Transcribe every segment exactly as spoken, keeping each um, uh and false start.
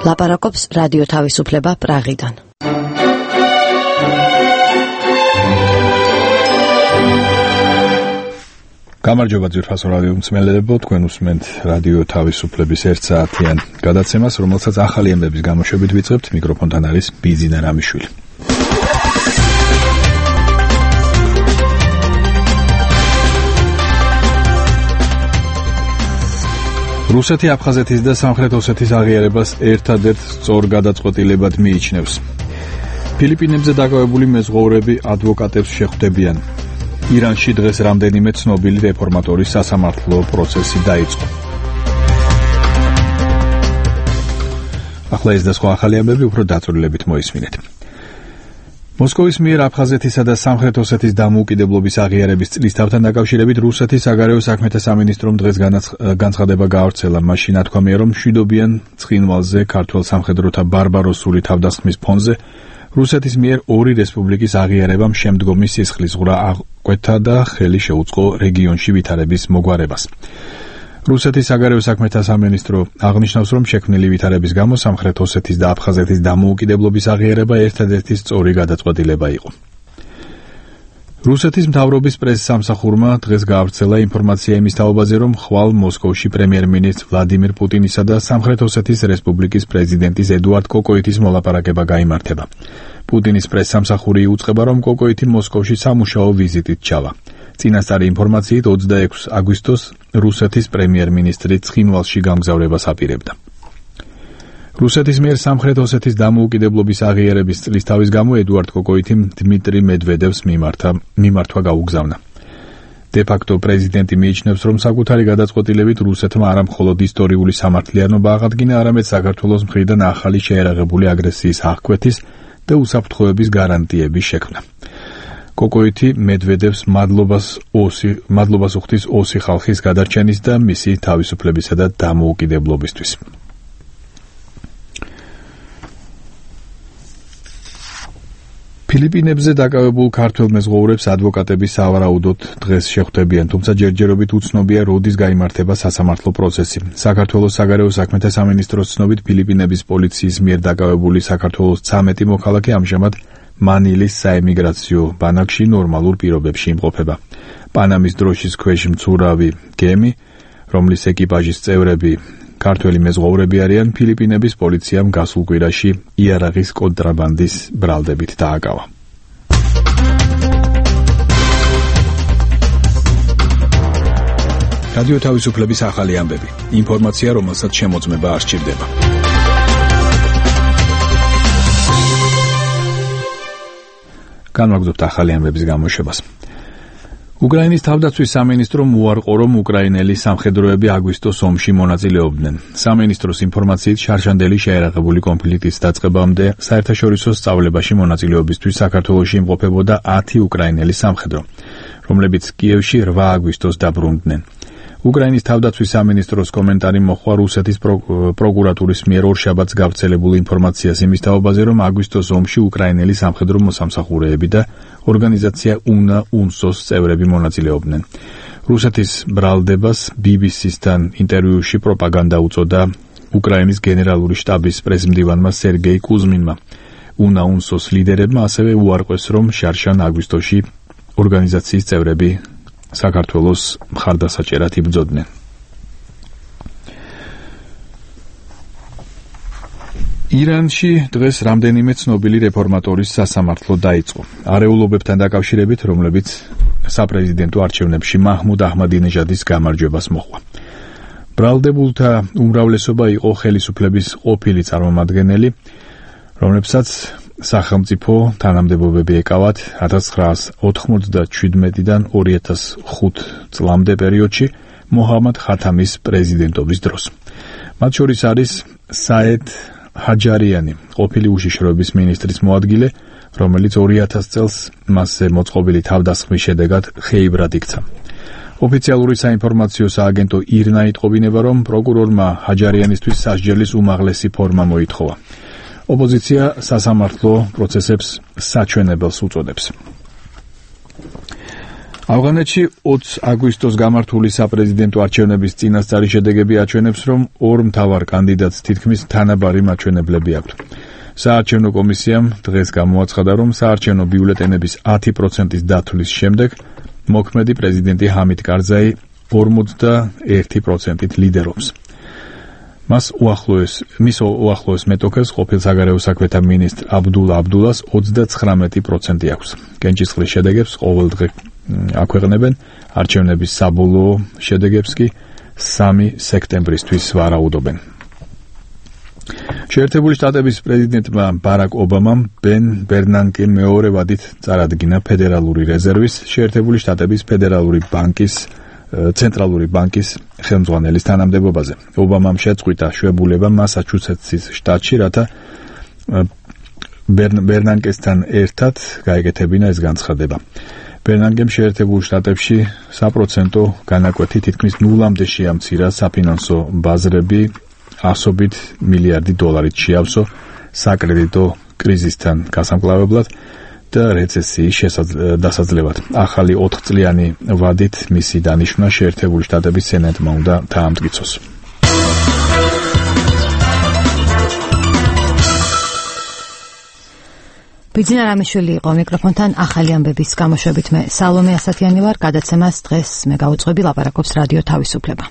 ლაპარაკობს რადიო თავისუფლება პრაღიდან. გამარჯობა ძვირფასო რადიო მსმენელებო, თქვენ უსმენთ რადიო თავისუფლების ერთ საათიან გადაცემას, რომელსაც ახალი ამბების გამოშვებით ვიწყებთ. მიკროფონთან არის ბიზინა რამიშვილი. რუსეთი აფხაზეთის და სამხრეთ ოსეთის აღიარებას ერთადერთ სწორ გადაწყვეტილებად მიიჩნევს. ფილიპინებზე დაკავებული მეზღვაურები ადვოკატებს შეხვდებიან. ირანში დღეს რამდენიმე ცნობილი რეფორმატორის სასამართლო პროცესი დაიწყო. ახლა ეს და სხვა ახალი ამბები უფრო დაწვრილებით მოისმინეთ. მოსკოვის მიერ აფხაზეთისა და სამხრეთ ოსეთის დამოუკიდებლობის აღიარების წლისთავთან დაკავშირებით რუსეთის საგარეო საქმეთა სამინისტრომ დღეს განცხადება გაავრცელა. მაშინ ნათქვამია, რომ მშვიდობიან ცხინვალზე ქართველ სამხედროთა ბარბაროსული თავდასხმის ფონზე რუსეთის მიერ ორი რესპუბლიკის აღიარებამ შემდგომი სისხლისღვრა აღკვეთა და ხელი შეუწყო რეგიონში ვითარების მოგვარებას. რუსეთის საგარეო საქმეთა სამინისტრო აღნიშნავს, რომ შექმნილი ვითარების გამო სამხრეთ ოსეთის და აფხაზეთის დამოუკიდებლობის აღიარება ერთადერთი სწორი გადაწყვეტილება იყო. რუსეთის მთავრობის პრესსამსახურმა დღეს გაავრცელა ინფორმაცია იმის თაობაზე, რომ ხვალ მოსკოვში პრემიერ-მინისტრ ვლადიმირ პუტინისა და სამხრეთ ოსეთის რესპუბლიკის პრეზიდენტის ედუარდ კოკოიტის მოლაპარაკება გაიმართება. პუტინის პრესსამსახური იუწყება, რომ კოკოიტი მოსკოვში სამუშაო ვიზიტით ჩავა. წინასწარი ინფორმაციით ოცდაექვსი აგვისტოს რუსეთის პრემიერ-მინისტრი ცხინვალში გამგზავრებას აპირებდა. რუსეთის მიერ სამხრეთ ოსეთის დამოუკიდებლობის აღიარების წლისთავის გამო ედუარდ კოკოიტიმ დმიტრი მედვედევს მიმართა მიმართვა გაუგზავნა. დე-ფაქტო პრეზიდენტი მიიჩნევს, რომ საკუთარი გადაწყვეტილებით რუსეთმა არა მხოლოდ ისტორიული სამართლიანობა აღადგინა, არამედ საქართველოს მხრიდან ახალი შეერაღებული აგრესიის აღკვეთის და უსაფრთხოების გარანტიების შექმნა. კოკოიტი მედვედევს მადლობას ოსი მადლობას უხდის ოსი ხალხის გადარჩენის და მისი თავისუფლებისა და დამოუკიდებლობისთვის. ფილიპინებზე დაკავებულ ქართველ მეზღვაურებს ადვოკატები სავარაუდოდ დღეს შეხვდებიან, თუმცა ჯერჯერობით უცნობია, როდის გაიმართება სასამართლო პროცესი. საქართველოს საგარეო საქმეთა სამინისტროს ცნობით, ფილიპინების პოლიციის მიერ დაკავებული საქართველოს ცამეტი მოქალაქე ამჟამად მანილის საემიგრაციო ბანაკში ნორმალურ პირობებში იმყოფება. პანამის დროშის ქვეშ მცურავი გემი, რომლის ეკიპაჟის წევრები ქართველი მეზღვაურები არიან, ფილიპინების პოლიციამ გასულ კვირაში იარაღის კონტრაბანდის ბრალდებით დააკავა. რადიო თავისუფლების ახალი ამბები. ინფორმაცია, რომელსაც შემოწმება არ სჭირდება. განვაგრძობთ ახალი ამბების გამოშვებას. უკრაინის თავდაცვის სამინისტრომ უარყო, რომ უკრაინელი სამხედროები აგვისტოს ომში მონაწილეობდნენ. სამინისტროს ინფორმაციით, შარშანდელი შეერაღებული კონფლიქტის დაწყებამდე საერთაშორისო სწავლებაში მონაწილეობისთვის საქართველოში იმყოფებოდა ათი უკრაინელი სამხედრო, რომლებიც კიევში რვა აგვისტოს დაბრუნდნენ. უკრაინის თავდაცვის სამინისტროს კომენტარი მოჰყვა რუსეთის პროკურატურის მიერ ორშაბათს გავრცელებულ ინფორმაციას იმის თაობაზე, რომ აგვისტოს ომში უკრაინელი სამხედრო მოსამსახურეები და ორგანიზაცია უნა უნსოს წევრები მონაწილეობდნენ. რუსეთის ბრალდებას ბი ბი სისთან ინტერვიუში პროპაგანდა უწოდა უკრაინის გენერალური შტაბის პრესმდივანმა სერგეი კუზმინმა. უნა უნსოს ლიდერებმა ასევე უარყვეს, რომ შარშან აგვისტოში ორგანიზაციის წევრები საქართველოს მხარდასაჭერად იბრძოდნენ. ირანში დღეს რამდენიმე ცნობილი რეფორმატორის სასამართლო დაიწყო. არეულობებთან დაკავშირებით, რომლებიც საპრეზიდენტო არჩევნებში მაჰმუდ აჰმადინეჟადის გამარჯვებას მოჰყვა. ბრალდებულთა უმრავლესობა იყო ხელისუფლების ყოფილი წარმომადგენელი, რომლებსაც სახელმწიფო თანამდებობები ეკავათ ათას ცხრაას ოთხმოცდაჩვიდმეტიდან ორი ათას ხუთი წლამდე პერიოდში მოჰამად ხათამის პრეზიდენტობის დროს. მათ შორის არის საედ ჰაჯარიანი, ყოფილი უშიშროების მინისტრის მოადგილე, რომელიც ორი ათას წელს მასზე მოწყობილი თავდასხმის შედეგად ხეიბრად იქცა. ოფიციალური საინფორმაციო სააგენტო ირნა იტყობინება, რომ პროკურორმა ჰაჯარიანისთვის სასჯელის უმაღლესი ფორმა მოითხოვა. ოპოზიცია სასამართლო პროცესებს საჩვენებელს უწოდებს. ავღანეთში ოცი აგვისტოს გამართული საპრეზიდენტო არჩევნების წინასწარი შედეგები აჩვენებს, რომ ორ მთავარ კანდიდატს თითქმის თანაბარი მაჩვენებლები აქვთ. საარჩევნო კომისიამ დღეს გამოაცხადა, რომ საარჩევნო ბიულეტენების ათი პროცენტის დათვლის შემდეგ მოქმედი პრეზიდენტი ჰამიდ კარზაი ორმოცდაერთი პროცენტით ლიდერობს. მას უახლოეს მის უახლოეს მეტოქეს ყოფილ საგარეო საქმეთა მინისტრ აბდულა აბდულას ოცდაცხრამეტი პროცენტი აქვს. კენჭისყრის შედეგებს ყოველდღე აქვეყნებენ, არჩევნების საბოლოო შედეგებს კი სამი სექტემბრისთვის ვარაუდობენ. შეერთებული შტატების პრეზიდენტმა ბარაკ ობამამ ბენ ბერნანკემ მეორე ვადით წარადგინა ფედერალური რეზერვის, შეერთებული შტატების ფედერალური ბანკის ცენტრალური ბანკის ხელმძღვანელის თანამდებობაზე. ობამამ შეწყვიტა შვებულება მასაჩუსეტსის შტატში, რათა ბერნანკესთან ერთად გაეკეთებინა ეს განცხადება. ბერნანკემ შეერთებულ შტატებში საპროცენტო განაკვეთი თითქმის ნულამდე შეამცირა საფინანსო ბაზრები ასობით მილიარდი დოლარით შეავსო საკრედიტო კრიზისთან გასამკლავებლად და რეცესიის დასაძლევად. ახალი ოთხწლიანი ვადით მისი დანიშვნა შეერთებული შტატების სენატმა უნდა დაამტკიცოს. ბიძინა რამიშვილი იყო მიკროფონთან ახალი ამბების გამოშვებით. მე სალომე ასათიანი ვარ. გადაცემას დღეს მე გავუძღვები, ლაპარაკობს რადიო თავისუფლება.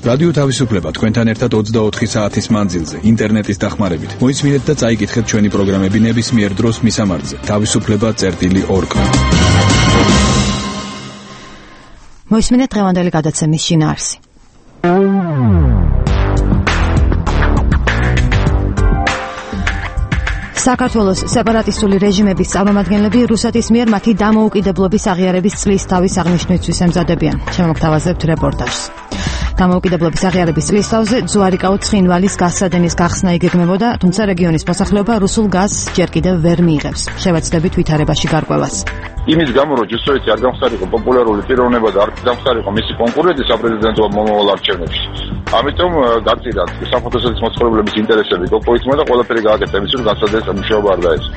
რადიო თავისუფლება თქვენთან ერთად ოცდაოთხი საათის მანძილზე, ინტერნეტის დახმარებით. მოისმინეთ და წაიკითხეთ ჩვენი პროგრამები ნებისმიერ დროს მისამართზე. თავისუფლება წერტილი ორგ. მოისმინეთ დღევანდელი გადაცემის შინაარსი. საქართველოს სეპარატისტული რეჟიმების წარმომადგენლები რუსეთის მიერ მათი დამოუკიდებლობის აღიარების წლის თავის აღნიშვნისთვის ემზადებიან. შემოგთავაზებთ რეპორტაჟს. დამოუკიდებლობის აღიარების წლის თავზე ძვარიკაო ცხინვალის გასადენის გახსნა იგეგმებოდა, თუმცა რეგიონის მოსახლეობა რუსულ გაზს ჯერ კიდევ ვერ მიიღებს. შევეცდებით ვითარებაში გარკვევას. იმის გამო, რომ ჯუსტად არ გამხდარიყო პოპულარული პიროვნება და არ გამხდარიყო მისი კონკურენტი საპრეზიდენტო მომავალ არჩევნებში. ამიტომ გაწირა საფოთოსეთის მოცხოვრებლების ინტერესები კოკოითმა და ყველაფერი გააკეთა იმის, რომ გასადენის მუშაობა არ დაეწყო.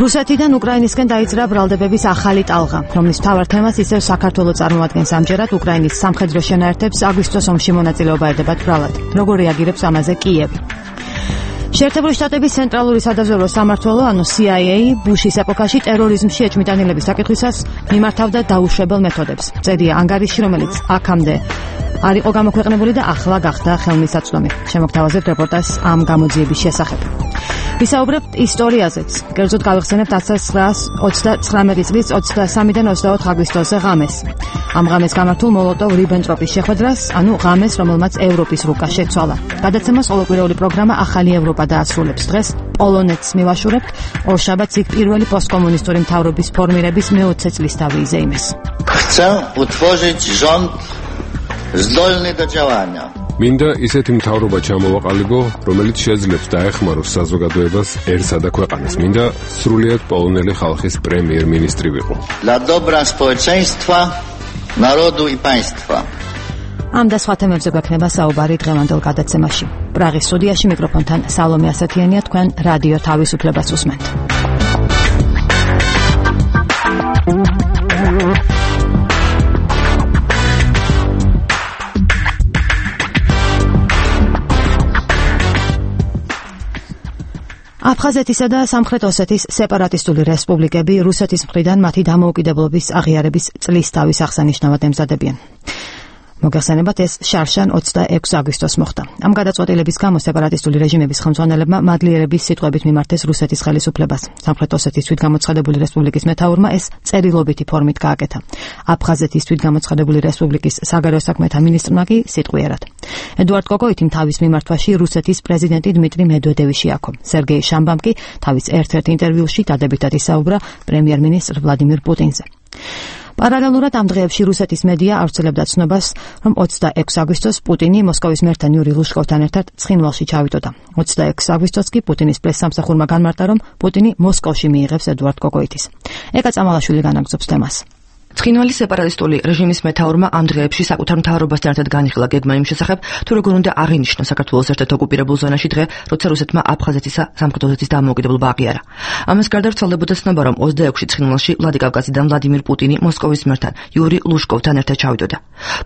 რუსეთიდან უკრაინისკენ დაიწყო ბრალდებების ახალი ტალღა, რომლის მთავარ თემას ისევ საქართველო წარმოადგენს. ამჯერად უკრაინის სამხედრო შენაერთებს აგვისტოს ომში მონაწილეობა ერდებათ ბრალად. როგორ რეაგირებს ამაზე კიევი? შეერთებული შტატების ცენტრალური სადაზვერვო სამმართველო, ანუ C I A, ბუშის ეპოქაში ტერორიზმში ეჭვმიტანილების საკითხისას მიმართავდა დაუშვებელ მეთოდებს. წერია ანგარიში, რომელიც აქამდე არ იყო გამოქვეყნებული და ახლა გახდა ხელმისაწვდომი. შემოგთავაზებთ რეპორტაჟს ამ გამოძიების შესახებ. ვისაუბრებთ ისტორიაზეც. კერძოდ გავიხსენებთ ათას ცხრაას ოცდაცხრამეტი წლის ოცდასამიდან ოცდაოთხ აგვისტოზე ღამეს. ამ ღამეს გამართულ მოლოტოვ-რიბენტროპის შეხვედრას, ანუ ღამეს, რომელმაც ევროპის რუკა შეცვალა. გადაცემას ყოველკვირეული პროგრამა ახალი ევროპა დაასრულებს. დღეს პოლონეთს მივაშურებთ. ორშაბათს იქ პირველი პოსტკომუნისტური მთავრობის ფორმირების მეოცე წლისთავი იზეიმეს. Chcę utworzyć rząd zdolny do działania. მინდა ისეთი მთავრობა ჩამოვაყალიბო, რომელიც შეძლებს დაეხმაროს საზოგადოებას ერთსა და ქვეყანას. მინდა სრულიად პოლონელი ხალხის პრემიერ-მინისტრი ვიყო. Dla dobra społeczeństwa, narodu i państwa. ამ და სხვა თემებზე გვექნება საუბარი დღევანდელ გადაცემაში. პრაღის სტუდიაში მიკროფონთან სალომე ასათიანია, თქვენ რადიო თავისუფლებას უსმენთ. აფხაზეთისა და სამხრეთ ოსეთის სეპარატისტული რესპუბლიკები რუსეთის მხრიდან მათი დამოუკიდებლობის აღიარების წლისთავის აღსანიშნავად ემზადებიან. მოგეხსენებათ, ეს შარშან ოცდაექვსი აგვისტოს მოხდა. ამ გადაწყვეტილების გამო სეპარატისტული რეჟიმების ხელმძღვანელებმა მადლიერების სიტყვებით მიმართეს რუსეთის ხელისუფლებას. სამხრეთ ოსეთის თვითგამოცხადებული რესპუბლიკის მეთაურმა ეს წერილობითი ფორმით გააკეთა. აფხაზეთის თვითგამოცხადებული რესპუბლიკის საგარეო საქმეთა მინისტრმა კი სიტყვიერად. ედუარდ კოკოითიმ თავის მიმართვაში რუსეთის პრეზიდენტი დმიტრი მედვედევი შეაქო. სერგეი შამბამ კი თავის ერთ-ერთ ინტერვიუში დადებითად ისაუბრა პრემიერ-მინისტრ ვლადიმირ პუტინზე. პარალელურად ამ დღეებში რუსეთის მედია ავრცელებდა ცნობას, რომ ოცდაექვსი აგვისტოს პუტინი მოსკოვის მერთან იური ლუშკოვთან ერთად ცხინვალში ჩავიდოდა. ოცდაექვსი აგვისტოს კი პუტინის პრესსამსახურმა განმარტა, რომ პუტინი მოსკოვში მიიღებს ედუარდ კოკოითის. ეკა წამალაშვილი განაგრძობს თემას. ცხინვალის სეპარატისტული რეჟიმის მეთაურმა ამ დღეებში საკუთარ მთავრობასთან ერთად განიხილა გეგმა იმ შესახებ, თუ როგორ უნდა აღინიშნოს საქართველოს ერთ-ერთ ოკუპირებულ ზონაში დღე, როცა რუსეთმა აფხაზეთისა სამხრეთ ოსეთის დამოუკიდებლობა აღიარა. ამას გარდა ვრცელდებოდა ცნობა, რომ ოცდაექვსი ცხინვალში ვლადიკავკაზიდან ვლადიმირ პუტინი მოსკოვის მერთან იური ლუშკოვთან ერთად ჩავიდოდა.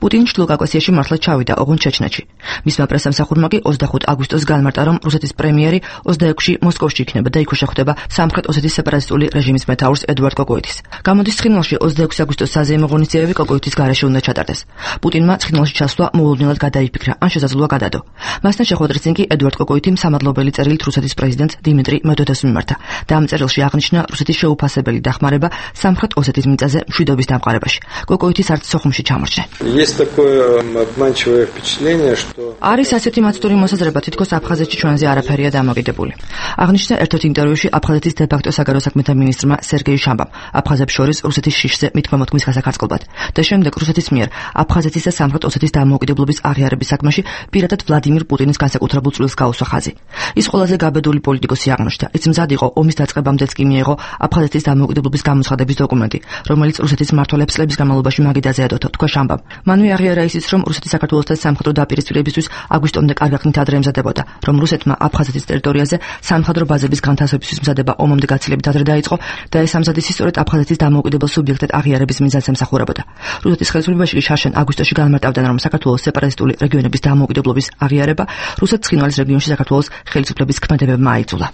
პუტინი ჩრდილოკავკასიაში მართლაც ჩავიდა, ოღონდ ჩეჩნეთში. მისმა პრესამსახურმა კი ოცდახუთი აგვისტოს განმარტა, რომ რუსეთის პრემიერი ოცდაექვსში მოსკოვში იქნება და იქვე შეხვდება სამხრეთ ოსეთის სეპარატისტული რეჟიმის მეთაურს ედუარდ კოკოიტის. გამოდის ცხინვალში ოცდაექვსი აგვისტოს საზეიმო ღონისძიებები კოკოიტის გარეშე უნდა ჩატარდეს. პუტინმა ცხინვალში ჩასვლა მოულოდნელად გადაიფიქრა, ან შესაძლოა გადადო. მასთან შეხვედრის წინ კი ედუარდ კოკოიტიმ სამადლობელი წერილით რუსეთის პრეზიდენტს დიმიტრი მედვედევს მიმართა და ამ წერილში აღნიშნა რუსეთის შეუფასებელი დახმარება სამხრეთ ოსეთის მიწაზე მშვიდობის დამყარებაში. კოკოიტის არც სოხუმში ჩამორჩა. არის ასეთი მაცდური მოსაზრება, თითქოს აფხაზეთში ჩვენზე არაფერია დამოკიდებული. აღნიშნა ერთ-ერთ ინტერვიუში აფხაზეთის დე-ფაქტო საგარეო საქმეთა მინისტრმა სერგეი შამბამ, აფხაზებს შორის რუსეთის შიშზე მითქმა-მოთქმის გასაკარწყლად და შემდეგ რუსეთის მიერ აფხაზეთის და სამხრეთ ოსეთის დამოუკიდებლობის აღიარების საქმეში პირადად ვლადიმირ პუტინის განსაკუთრებულ წვლილს გაუსვა ხაზი. ის ყველაზე გაბედული პოლიტიკოსი აღმოჩნდა. ის მზად იყო ომის დაწყებამდეც კი მიიღო აფხაზეთის დამოუკიდებლობის გამოცხადების დოკუმენტი, რომელიც რუსეთის მმართველებს წლების განმავლობაში მაგიდაზე ედოთა, თქვა შამბამ. მანვე აღიარა ისიც, რომ რუსეთი საქართველოსთან სამხედრო დაპირისპირებისთვის აგვისტომდე კარგი ხნით ადრე ემზადებოდა, რომ რუსეთმა აფხაზეთის ტერიტორიაზე სამხედრო ბაზების განთავსებისთვის მზადება ომამდე გაცილებით ადრე დაიწყო და ეს ამზადის ისტორიად აფხაზეთის დამოუკიდებელ სუბიექტად აღიარების მიზანს ემსახურებოდა. რუსეთის ხელისუფლებაში კი შარშან აგვისტოში განმარტავდნენ, რომ საქართველოს სეპარატისტული რეგიონების დამოუკიდებლობის აღიარება რუსეთ ცხინვალის რეგიონში საქართველოს ხელისუფლების ქმედებებმა აიძულა.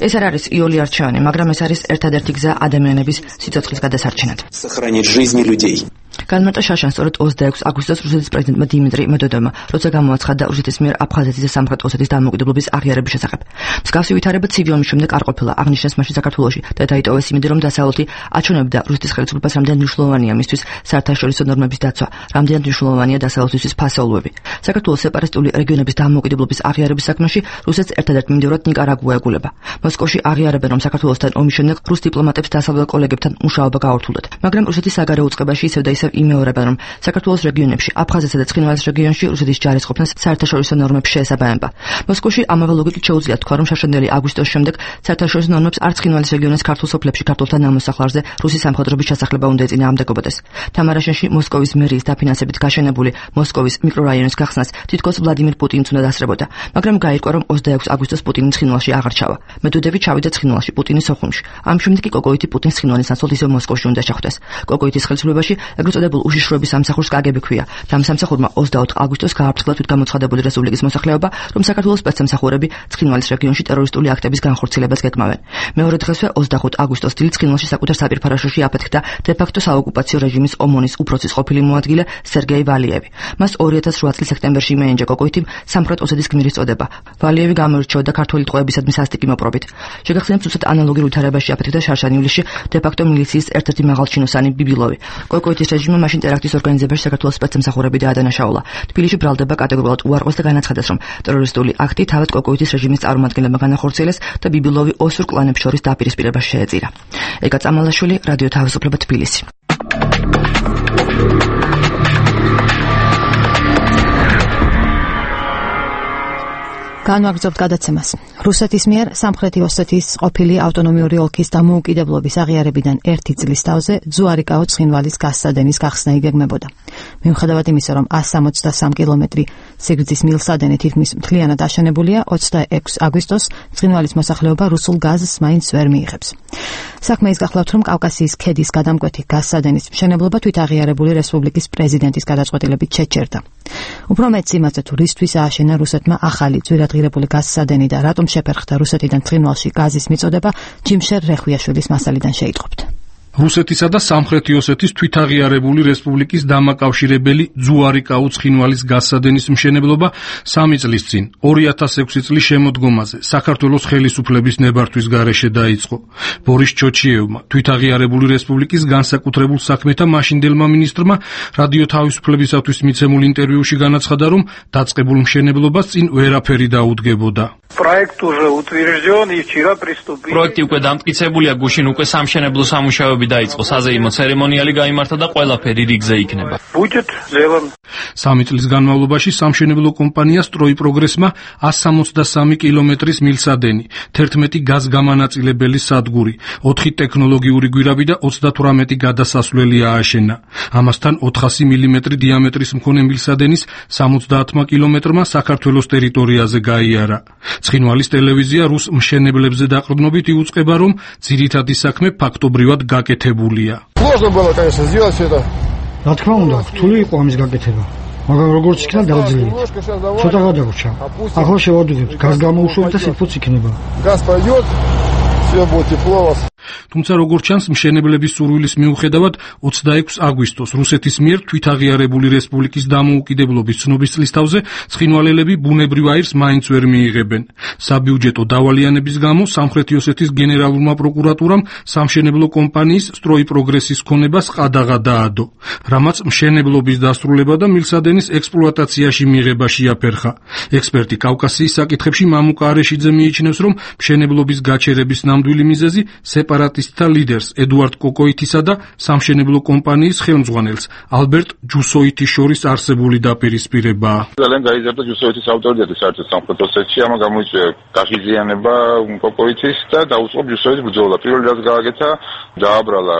ეს არ არის იოლი არჩევანი, მაგრამ ეს არის ერთადერთი გზა ადამიანების სიცოცხლის გადასარჩენად. განმარტა შარშან სწორედ ოცდაექვსი აგვისტოს რუსეთის პრეზიდენტმა დიმიტრი მედვედევმა, როცა გამოაცხადა რუსეთის მიერ აფხაზეთის და სამხრეთ ოსეთის დამოუკიდებლობის აღიარების შესახებ. მსგავსი ვითარება ცივი ომის შემდეგ არ ყოფილა, აღნიშნეს მაშინ საქართველოში და დაიტოვეს იმედი, რომ დასავლეთი აჩვენებდა რუსეთის ხელისუფლებას რამდენად მნიშვნელოვანია მისთვის საერთაშორისო ნორმების დაცვა, რამდენად მნიშვნელოვანია დასავლეთისთვის ფასეულობები. საქართველოს სეპარატისტული რეგიონების დამოუკიდებლობის აღიარების საქმეში რუსეთს ერთადერთ მიმდევრად ნიკარაგუა ეგულება. მოსკოვში აღიარებენ, რომ საქართველოსთან ომის შემდეგ რუს დიპლომატებს დასავლელ კოლეგებთან მუშაობა გაართულათ, მაგრამ რუსეთის საგარეო უწყებაში ისევ და ისევ იმეორებენ, რომ საქართველოს რეგიონებში, აფხაზეთსა და ცხინვალის რეგიონში რუსეთის ჯარის ყოფნას საერთაშორისო ნორმებს შეესაბამება. მოსკოვში ამავე ლოგიკით შეუძლია თქვა, რომ შარშანდელი აგვისტოს შემდეგ საერთაშორისო ნორმებს არც ცხინვალის რეგიონის ქართულ სოფლებში ქართულთან ნამოსახლარზე რუსის სამხედროების ჩასახლება უნდა ეწინააღმდეგობოდეს. თამარაშენში მოსკოვის მერიის დაფინანსებით გაშენებული მოსკოვის მიკრორაიონის გახსნას თითქოს ვლადიმირ პუტინიც უნდა დასწრებოდა, მაგრამ გაირკვა, რომ ოცდაექვსი აგვისტოს პუტინი ცხინვალში აღარ ჩავა. მედვედევი ჩავიდა ცხინვალში, პუტინი სოხუმში. ამ შემდეგ კი კოკოიტი პუტინს ცხინვალის ნაცვლად ისევ მოსკოვში უნდა შეხვდეს. კოკოიტის ხელისუფლებაში ეგრეთ წოდებულ უშიშროების სამსახურს კაგები ჰქვია და ამ სამსახურმა ოცდაოთხი აგვისტოს გააფრთხილა თვითგამოცხადებული რესპუბლიკის მოსახლეობა, რომ საქართველოს სპეცსამსახურები ცხინვალის რეგიონში ტერორისტული აქტების განხორციელებას გეკმავენ. მეორე დღესვე ოცდახუთი აგვისტოს დილით ცხინვალში საკუთარ საპირფარეშოში აფეთქდა დე-ფაქტო საოკუპაციო რეჟიმის ომონის უფროსის ყოფილი მოადგილე სერგეი ვალიევი. მას ორი ათას რვა წლის სექტემბერში მიენიჭა კოკოიტიმ სამხრეთ ოსეთის გმირის წოდება. ვალიევი გამოირჩეოდა ქართული ტყვეებისადმი სასტიკი მოპყრობით. შეგახსენებთ, უცებ ანალოგიურ ვითარებაში აფეთქდა შარშან ივლისში დე-ფაქტო მილიციის ერთ-ერთი მაღალჩინოსანი ბიბილოვი. კოკოიტის რეჟიმმა მაშინ ტერაქტის ორგანიზებაში საქართველოს სპეცსამსახურები დაადანაშაულა. თბილისში ბრალდება კატეგორიულად უარყვეს და განაცხადეს, რომ ტერორისტული აქტი თავად კოკოიტის რეჟიმის წარმომადგენლებმა განახორციელეს და ბიბილოვი ოსურ კლანებს შორის დაპირისპირებას შეეწირა. ეკა წამალაშვილი, რადიო თავისუფლება, თბილისი. განვაგრძობთ გადაცემას. რუსეთის მიერ სამხრეთი ოსეთის ყოფილი ავტონომიური ოლქის დამოუკიდებლობის აღიარებიდან ერთი წლის თავზე ძუარიკაო ცხინვალის გასცადენის გახსნა იგეგმებოდა. მიუხედავად იმისა, რომ ასი სამოცდასამი კილომეტრი სიგრძის მილსადენი თითქმის მთლიანად აშენებულია, ოცდაექვსი აგვისტოს ცხინვალის მოსახლეობა რუსულ გაზს მაინც ვერ მიიღებს. საქმე ის გახლავთ, რომ კავკასიის ქედის გადამკვეთი გასცადენის მშენებლობა თვითაღიარებული რესპუბლიკის პრეზიდენტის გადაწყვეტილებით შეჩერდა. უფრო მეტს იმაზე, თუ რისთვის ააშენა რუსეთმა ახალი ძვირადღირებული გასცადენი და რატომ შეფერხდა რუსეთიდან ცხინვალში გაზის მიწოდება, ჯიმშერ რეხვიაშვილის მასალიდან შეიტყობთ. რუსეთისა და სამხრეთი ოსეთის თვითაღიარებული რესპუბლიკის დამაკავშირებელი ძუარიკაო ცხინვალის გასცადენის მშენებლობა სამი წლის წინ ორი ათას ექვსი წლის შემოდგომაზე საქართველოს ხელისუფლების ნებართვის გარეშე დაიწყო. ბორის ჩოჩიევმა, თვითაღიარებული რესპუბლიკის განსაკუთრებულ საქმეთა მაშინდელმა მინისტრმა რადიო თავისუფლებისათვის მიცემულ ინტერვიუში განაცხადა, რომ დაწყებულ მშენებლობას წინ ვერაფერი დაუდგებოდა. პროექტი უკვე დამტკიცებულია, გუშინ უკვე სამშენებლო სამუშაოები დაიწყო, საზეიმო ცერემონიალი გაიმართა და ყველაფერი რიგზე იქნება. სამი წლის განმავლობაში სამშენებლო კომპანია სტროიპროგრესმა εκατს სამოცდასამი კილომეტრის მილსადენი, თერთმეტი გაზგამანაწილებელი სადგური, ოთხი ტექნოლოგიური გვირაბი და ოცდათვრამეტი გადასასვლელი ააშენა. ამასთან ოთხასი მილიმეტრი დიამეტრის მქონე მილსადენის სამოცდაათმა კილომეტრმა საქართველოს ტერიტორიაზე გაიარა. ცხინვალის ტელევიზია რუს მშენებლებზე დაყრდნობით იუწყება, რომ ძირითადი საქმე ფაქტობრივად გაკეთებულია. რა თქმა უნდა, რთული იყო ამის გაკეთება, მაგრამ როგორც იქნა დავძლიეთ. ცოტა გადაგვრჩა. ახლა შევადევნებთ, გაზ გამოუშვებთ და სითბოც იქნება. თუმცა როგორც ჩანს, მშენებლების სურვილის მიუხედავად ოცდაექვსი აგვისტოს რუსეთის მიერ თვითაღიარებული რესპუბლიკის დამოუკიდებლობის ცნობის წლისთავზე ცხინვალელები ბუნებრივ აირს მაინც ვერ მიიღებენ. საბიუჯეტო დავალიანების გამო სამხრეთი ოსეთის გენერალურმა პროკურატურამ სამშენებლო კომპანიის სტროიპროგრესის ქონებას ყადაღა დაადო, რამაც მშენებლობის დასრულება და მილსადენის ექსპლუატაციაში მიღება შეაფერხა. ექსპერტი კავკასიის საკითხებში მამუკა არეშიძე მიიჩნევს, რომ მშენებლობის გაჩერების ნამდვილი მიზეზი სეპარატისტთა ლიდერს ედუარდ კოკოითისა და სამშენებლო კომპანიის ხელმძღვანელს ალბერტ ჯუსოიტის შორის არსებული დაპირისპირებაა. ძალიან გაიზარდა ჯუსოიტის ავტორიტეტი საერთოდ სამხრეთ ოსეთში, ამან გამოიწვია გაღიზიანება კოკოითის და დაუწყო ჯუსოიტის ბრძოლა. პირველი რაც გააკეთა, დააბრალა,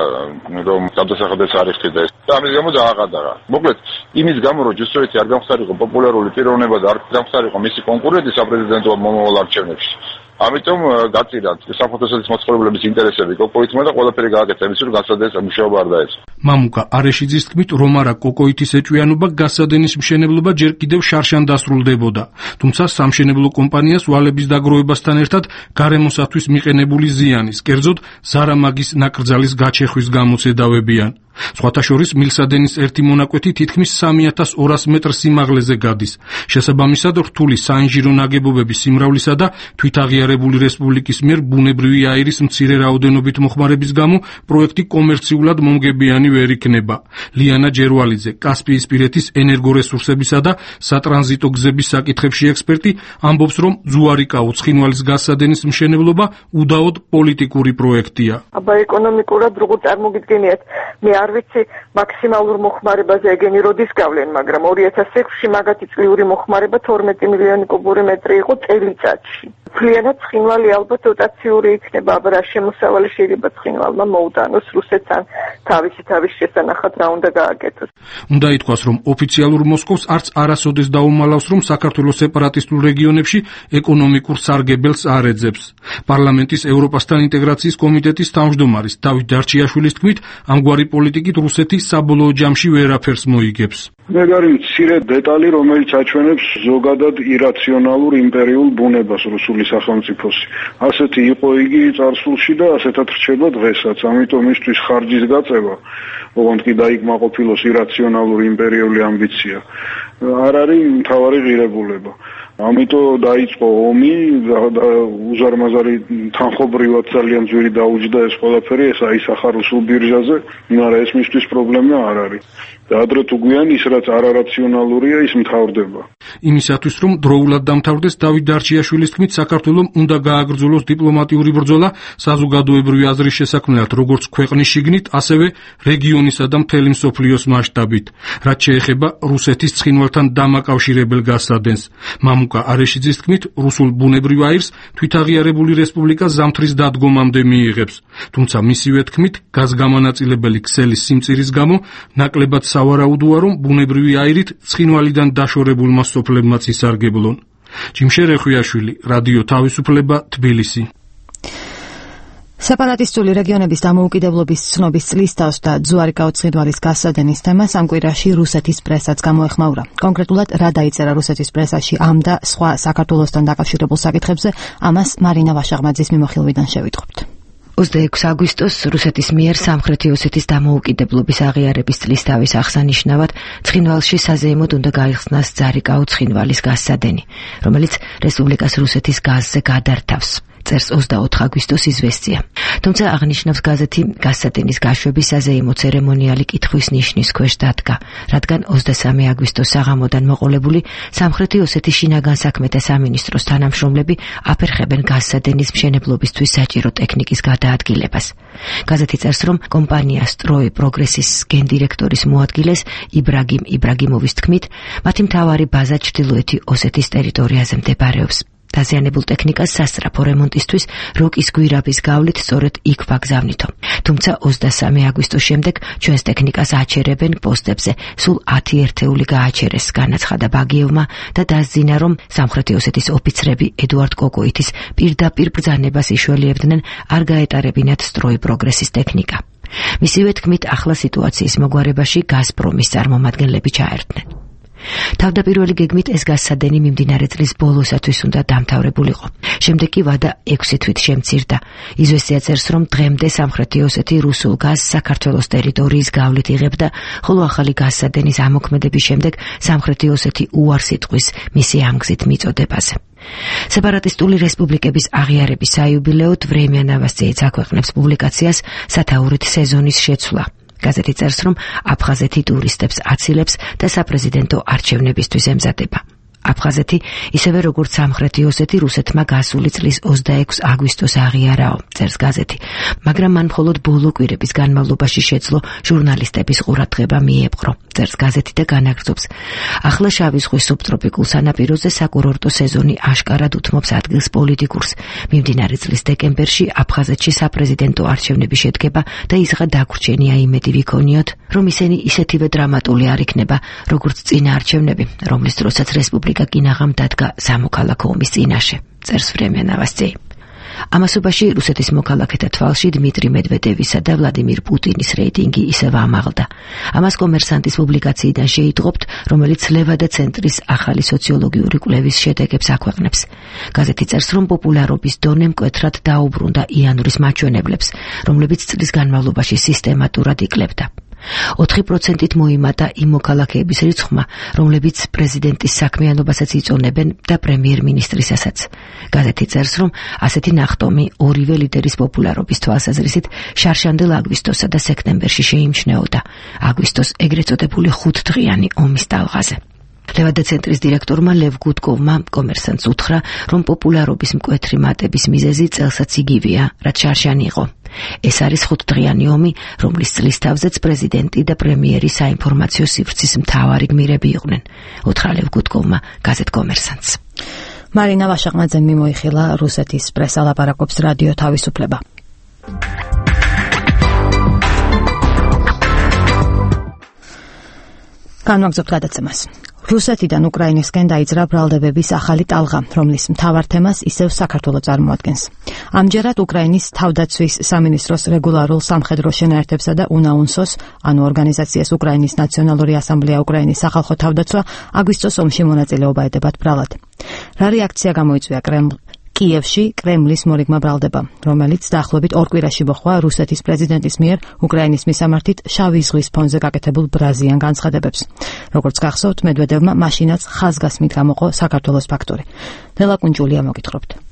რომ გადასახადეს არ იხდიდა ეს და ამის გამო დააყადაღა. მოკლედ, იმის გამო რომ ჯუსოიტი არ გამხდარიყო პოპულარული პიროვნება და არ გამხდარიყო მისი კონკურენტი საპრეზიდენტო მომავალ არჩევნებში. ამიტომ გაწირა სამხრეთ ოსეთის მაცხოვრებლების ინტერესები კოკოითმა და ყველაფერი გააკეთა იმის რომ გასადენის მუშაობა არ დაეწყო. მამუკა არეშიძის თქმით, რომ არა კოკოითის ეჭვიანობა გასადენის მშენებლობა ჯერ კიდევ შარშან დასრულდებოდა. თუმცა სამშენებლო კომპანიას ვალების დაგროვებასთან ერთად გარემოსათვის მიყენებული ზიანის, კერძოდ ზარამაგის ნაკრძალის გაჩეხვის გამოც ედავებიან. სხვათა შორის მილსადენის ერთი მონაკვეთი თითქმის სამი ათას ორას მეტრ სიმაღლეზე გადის. შესაბამისად, რთული საინჟირო ნაგებობების სიმრავლისა და თვითაღიარებული რესპუბლიკის მიერ ბუნებრივი აირის მცირე რაოდენობით მოხმარების გამო პროექტი კომერციულად მომგებიანი ვერ იქნება. ლიანა ჯერვალიძე, კასპიისპირეთის ენერგორესურსებისა და სატრანზიტო გზების საკითხებში ექსპერტი, ამბობს, რომ ზუარიკაო ცხინვალის გაზსადენის მშენებლობა უდაოდ პოლიტიკური პროექტია. აბა ეკონომიკურად როგორ წარმოგიდგენიათ, მე არ ვიცი მაქსიმალურ მოხმარებაზე ეგენი როდის გავლენ, მაგრამ ორი ათას ექვსში მაგათი წლიური მოხმარება თორმეტი მილიონი კუბური მეტრი იყო წელიწადში. Ფლიანად ცხინვალი ალბათ დოტაციური იქნება, აბა რა შემოსავალი შეიძლება ცხინვალმა მოუტანოს რუსეთთან თავისი თავის შესანახად რა უნდა გააკეთოს. უნდა ითქვას, რომ ოფიციალურ მოსკოვს არც არასოდეს დაუმალავს, რომ საქართველოს სეპარატისტულ რეგიონებში ეკონომიკურ სარგებელს არ ეძებს. პარლამენტის ევროპასთან ინტეგრაციის კომიტეტის თავმჯდომარის დავით დარჩიაშვილის თქმით, ამგვარი პოლიტიკით რუსეთი საბოლოო ჯამში ვერაფერს მოიგებს. მეგარი მცირე დეტალი, რომელიც აჩვენებს ზოგადად ირაციონალურ იმპერიულ ბუნებას რუსული სახელმწიფოსი. ასეთი იყო იგი წარსულში და ასეთად რჩება დღესაც. ამიტომ მისთვის ხარჯის გაწევა, ოღონდ კი დაიკმაყოფილოს ირაციონალური იმპერიული ამბიცია, არ არის მთავარი ღირებულება. ამიტომ დაიწყო ომი, უზარმაზარი თანხობრივად ძალიან ძვირი დაუჯდა ეს ყველაფერი, ეს აისახა რუსულ ბირჟაზე, მაგრამ ეს მისთვის პრობლემა არ არის. და ადრე თუ გვიან ის რაც არარაციონალურია, ის მთავრდება. იმისათვის რომ დროულად დამთავრდეს, დავით დარჩიაშვილის თქმით, საქართველომ უნდა გააგრძელოს დიპლომატიური ბრძოლა საზოგადოებრივი აზრის შესაქმნელად, როგორც ქვეყნის შიგნით, ასევე რეგიონისა და მთელი მსოფლიოს მასშტაბით, რაც შეეხება რუსეთის ცხინვალთან დამაკავშირებელ გასადენს. მამუკა არეშიძის თქმით, რუსულ ბუნებრივ აირს თვითაღიარებული რესპუბლიკა ზამთრის დადგომამდე მიიღებს. თუმცა მისივე თქმით, გაზგამანაწილებელი ქსელის სიმწირის გამო ნაკლებად სავარაუდოა, რომ ბუნებრივი აირით ცხინვალიდან დაშორებულმა სოფლებმაც ისარგებლონ. ჯიმშერ ეხვიაშვილი, რადიო თავისუფლება, თბილისი. სეპარატისტული რეგიონების დამოუკიდებლობის ცნობის წლისთავს და ზუარიკაო ცხინვალის გასადენის თემას ამ კვირაში რუსეთის პრესაც გამოეხმაურა. კონკრეტულად რა დაიწერა რუსეთის პრესაში ამ და სხვა საქართველოსთან დაკავშირებულ საკითხებზე, ამას მარინა ვაშაღმაძის მიმოხილვიდან შევიტყობთ. ოცდაექვსი აგვისტოს რუსეთის მიერ სამხრეთი ოსეთის დამოუკიდებლობის აღიარების წლისთავის აღსანიშნავად ცხინვალში საზეიმოდ უნდა გაიხსნას ზარიკაო ცხინვალის გაზსადენი, რომელიც რესპუბლიკას რუსეთის გაზზე გადართავს. წერს ოცდაოთხ აგვისტოს იზვესტია. თუმცა აღნიშნავს გაზეთი, გასცადენის გაშვების საზეიმო ცერემონიალი კითხვის ნიშნის ქვეშ დადგა, რადგან ოცდასამი აგვისტოს საღამოდან მოყოლებული სამხრეთი ოსეთის შინაგან საქმეთა სამინისტროს თანამშრომლები აფერხებენ გასცადენის მშენებლობისთვის საჭირო ტექნიკის გადაადგილებას. გაზეთი წერს, რომ კომპანია სტროი პროგრესის გენდირექტორის მოადგილეს იბრაგიმ იბრაგიმოვის თქმით, მათი მთავარი ბაზა ჩრდილოეთი ოსეთის ტერიტორიაზე მდებარეობს. დაზიანებულ ტექნიკას სასწრაფო რემონტისთვის როკის გვირაბის გავლით სწორედ იქ ვაგზავნითო. თუმცა ოცდასამი აგვისტოს შემდეგ ჩვენს ტექნიკას აჩერებენ პოსტებზე, სულ ათი ერთეული გააჩერეს, განაცხადა ბაგიევმა და დასძინა, რომ სამხრეთი ოსეთის ოფიცრები ედუარდ კოკოიტის პირდაპირ ბრძანებას იშველიებდნენ არ გაეტარებინათ სტროი პროგრესის ტექნიკა. მისივე თქმით, ახლა სიტუაციის მოგვარებაში გაზპრომის წარმომადგენლები ჩაერთნენ. თავდაპირველი გეგმით ეს გასცადენი მიმდინარე წლის ბოლოსათვის უნდა დამთავრებულიყო. შემდეგ კი ვადა ექვსი თვით შემცირდა. იზვესტია წერს, რომ დღემდე სამხრეთი ოსეთი რუსულ გაზს საქართველოს ტერიტორიის გავლით იღებდა, ხოლო ახალი გასცადენის ამოქმედების შემდეგ სამხრეთი ოსეთი უარს იტყვის მისი ამგზით მიწოდებაზე. სეპარატისტული რესპუბლიკების აღიარების საიუბილეოდ ვრემია ნოვოსტიიც აქვეყნებს პუბლიკაციას სათაურით სეზონის შეცვლა. გაზეთი წერს, რომ აფხაზეთი ტურისტებს აცილებს და საპრეზიდენტო არჩევნებისთვის ემზადება. აფხაზეთი, ისევე როგორც სამხრეთი ოსეთი, რუსეთმა გასული წლის ოცდაექვსი აგვისტოს აღიარაო, წერს გაზეთი, მაგრამ მან მხოლოდ ბოლო კვირების განმავლობაში შეძლო ჟურნალისტების ყურადღება მიეპყრო, წერს გაზეთი და განაგრძობს. ახლა შავი ზღვის სუბტროპიკულ სანაპიროზე საკურორტო სეზონი აშკარად უთმობს ადგილს პოლიტიკურს. მიმდინარე წლის დეკემბერში აფხაზეთში საპრეზიდენტო არჩევნები შედგება და ისღა დაგვრჩენია იმედი ვიქონიოთ, რომ ისინი ისეთივე დრამატული არ იქნება, როგორც წინა არჩევნები, რომლის დროსაც რესპუბლიკა კინაღამ დადგა სამოქალაქო ომის წინაშე, წერს ვრემია ნოვოსტია. ამასობაში რუსეთის მოქალაქეთა თვალში დმიტრი მედვედევისა და ვლადიმირ პუტინის რეიტინგი ისევ ამაღლდა. ამას კომერსანტის პუბლიკაციიდან შეიტყობთ, რომელიც ლევა და ცენტრის ახალი სოციოლოგიური კვლევის შედეგებს აქვეყნებს. გაზეთი წერს, რომ პოპულარობის დონე მკვეთრად დაუბრუნდა იანურის მაჩვენებლებს, რომლებიც წლის განმავლობაში სისტემატურად იკლებდა. ოთხი პროცენტით მოიმატა იმ მოქალაქეების რიცხვმა, რომლებიც პრეზიდენტის საქმიანობასაც იწონებენ და პრემიერ-მინისტრისასაც. გაზეთი წერს, რომ ასეთი ნახტომი ორივე ლიდერის პოპულარობის თვალსაზრისით შარშანდელ აგვისტოსა და სექტემბერში შეიმჩნეოდა. აგვისტოს ეგრეთ წოდებული ხუთდღიანი ომის ტალღაზე. ლევა და ცენტრის დირექტორმა ლევ გუდკოვმა კომერსანტს უთხრა, რომ პოპულარობის მკვეთრი მატების მიზეზი წელსაც იგივეა, რაც შარშანი იყო. ეს არის ხუთდღიანი ომი, რომლის წლის თავზეც პრეზიდენტი და პრემიერი საინფორმაციო სივრცის მთავარი გმირები იყვნენ, უთხრა ლევ გუდკოვმა გაზეთ კომერსანტს. მარინა ვაშაყმაძემ მიმოიხილა რუსეთის პრესა ლაპარაკობს რადიო თავისუფლება. განვაგრძობთ გადაცემას. რუსეთიდან უკრაინისკენ დაიძრა ბრალდებების ახალი ტალღა, რომლის მთავარ თემას ისევ საქართველო წარმოადგენს. ამჯერად უკრაინის თავდაცვის სამინისტროს რეგულარულ სამხედრო შენაერთებსა და უნაუნსოს, ანუ ორგანიზაციას უკრაინის ნაციონალური ასამბლეა უკრაინის სახალხო თავდაცვა, აგვისტოს ომში მონაწილეობა ედებათ ბრალად. რა რეაქცია გამოიწვია კრემლ კიევში კრემლის მორიგმა ბრალდება, რომელიც დაახლოებით ორ კვირაში მოხვა რუსეთის პრეზიდენტის მიერ უკრაინის მისამართით შავი ზღვის ფონზე გაკეთებულ ბრაზიან განცხადებებს. როგორც გახსოვთ, მედვედევმა მაშინაც ხაზგასმით გამოყო საქართველოს ფაქტორი. ნელა კუნჯულია მოგითხრობთ.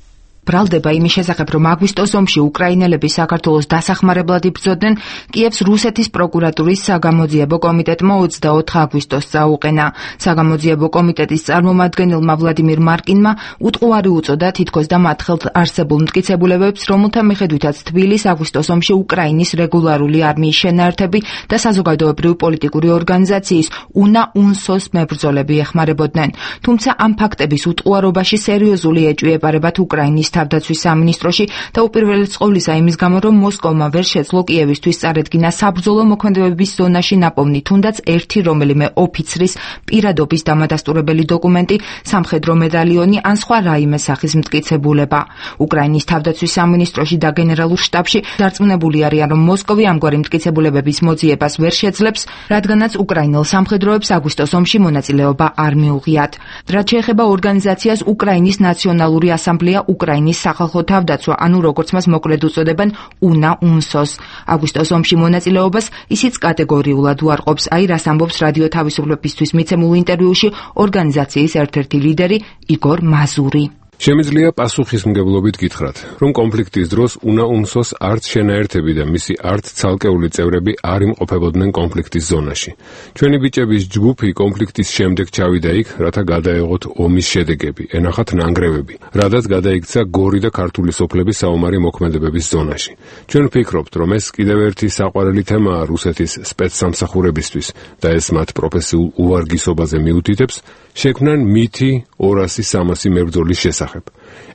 ბრალდება იმის შესახებ, რომ აგვისტოს ომში უკრაინელები საქართველოს დასახმარებლად იბრძოდნენ, კიევს რუსეთის პროკურატურის საგამოძიებო კომიტეტმა ოცდაოთხ აგვისტოს წაუყენა. საგამოძიებო კომიტეტის წარმომადგენელმა ვლადიმირ მარკინმა უტყუარი უწოდა თითქოს და მათ ხელთ არსებულ მტკიცებულებებს, რომელთა მიხედვითაც თბილის აგვისტოს ომში უკრაინის რეგულარული არმიის შენაერთები და საზოგადოებრივი პოლიტიკური ორგანიზაციის უნაუნსოს მებრძოლები ეხმარებოდნენ. თუმცა ამ ფაქტების უტყუარობაში სერიოზული ეჭვი ეპარებათ უკრაინის თავდაცვის სამინისტროში და უპირველეს ყოვლისა იმის გამო, რომ მოსკოვმა ვერ შეძლო კიევისთვის წარედგინა საბრძოლო მოქმედებების ზონაში ნაპოვნი თუნდაც ერთი რომელიმე ოფიცრის პირადობის დამადასტურებელი დოკუმენტი, სამხედრო მედალიონი ან სხვა რაიმე სახის მტკიცებულება. უკრაინის თავდაცვის სამინისტროში და გენერალურ შტაბში დარწმუნებული არიან, რომ მოსკოვი ამგვარი მტკიცებულებების მოძიებას ვერ შეძლებს, რადგანაც უკრაინელ სამხედროებს აგვისტოს ომში მონაწილეობა არ მიუღიათ. რაც შეეხება ორგანიზაციას უკრაინის ნაციონალური ასამბლეა უკრაინის სახალხო თავდაცვა, ანუ როგორც მას მოკლედ უწოდებენ უნაუნსოს. აგვისტოს ომში მონაწილეობას ისიც კატეგორიულად უარყოფს, აი რას ამბობს რადიო თავისუფლებისთვის მიცემულ ინტერვიუში ორგანიზაციის ერთ-ერთი ლიდერი იგორ მაზური. შემიძლია პასუხისმგებლობით გითხრათ, რომ კონფლიქტის დროს უნაუნსოს არც შენაერთები და მისი არც ცალკეული წევრები არ იმყოფებოდნენ კონფლიქტის ზონაში. ჩვენი ბიჭების ჯგუფი კონფლიქტის შემდეგ ჩავიდა იქ, რათა გადაეღოთ ომის შედეგები, ენახათ ნანგრევები, რადგან გადაიქცა გორი და ქართული სოფლების საომარი მოქმედებების ზონაში. ჩვენ ვფიქრობთ, რომ ეს კიდევ ერთი საყვარელი თემაა რუსეთის სპეცსამსახურებისთვის და ეს მათ პროფესიულ უვარგისობაზე მიუთითებს, შექმნან მითი ორასი სამასი მებრძოლის შესახებ.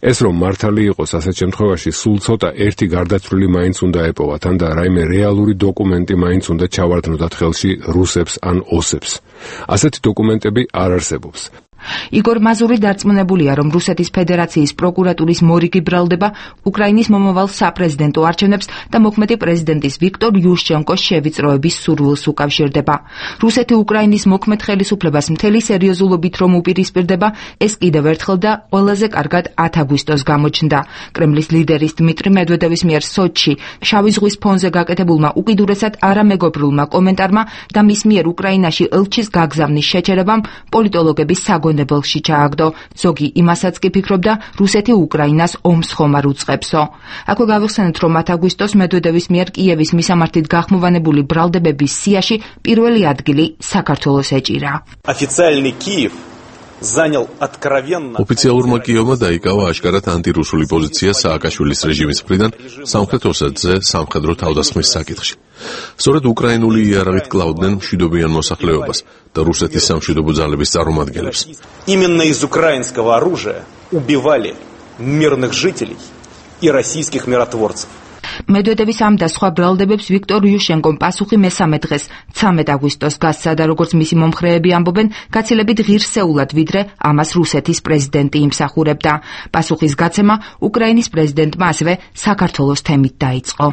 ეს რომ მართალი იყოს ასეთ შემთხვევაში სულ ცოტა ერთი გარდაცვლილი მაინც უნდა ეპოვათ, ან და რაიმე რეალური დოკუმენტი მაინც უნდა ჩავარდნოდათ ხელში რუსებს ან ოსებს. ასეთი დოკუმენტები არ არსებობს. იგორ მაზური დარწმუნებულია, რომ რუსეთის ფედერაციის პროკურატურის მორიგი ბრალდება უკრაინის მომავალ საპრეზიდენტო არჩევნებს და მოქმედი პრეზიდენტის ვიქტორ იუშჩენკოს შევიწროების სურვილს უკავშირდება. რუსეთი უკრაინის მოქმედ ხელისუფლებას მთელი სერიოზულობით რომ უპირისპირდება, ეს კიდევ ერთხელ და ყველაზე კარგად ათი აგვისტოს გამოჩნდა. კრემლის ლიდერის დმიტრი მედვედევის მიერ სოჩში შავი ზღვის ფონზე გაკეთებულმა უკიდურესად არამეგობრულმა კომენტარმა და მის მიერ უკრაინაში ელჩის გაგზავნის შეჩერებამ პოლიტოლოგების საგონებელში ჩააგდო. ზოგი იმასაც კი ფიქრობდა, რუსეთი უკრაინას ომს ხომ არ უწყებსო. აქვე გავიხსენეთ, რომ ათი აგვისტოს მედვედევის მიერ კიევის მისამართით გახმოვანებული ბრალდებების სიაში პირველი ადგილი საქართველოს ეჭირა. Официальный Киев занял откровенно ოფიციალურმა კიევმა დაიკავა აშკარად ანტირუსული პოზიცია სააკაშვილის რეჟიმის მხრიდან სამხრეთ ოსეთზე სამხედრო თავდასხმის საკითხში. სწორედ უკრაინული იარაღით კლავდნენ მშვიდობიან მოსახლეობას და რუსეთის სამშვიდობო ძალების წარმომადგენლებს. Именно из украинского оружия убивали мирных жителей и российских миротворцев. მედვედევის ამ და სხვა ბრალდებებს ვიქტორ იუშენკომ პასუხი მესამე დღეს ცამეტ აგვისტოს გასცა და როგორც მისი მომხრეები ამბობენ, გაცილებით ღირსეულად ვიდრე ამას რუსეთის პრეზიდენტი იმსახურებდა. პასუხის გაცემა უკრაინის პრეზიდენტმა ასევე საქართველოს თემით დაიწყო.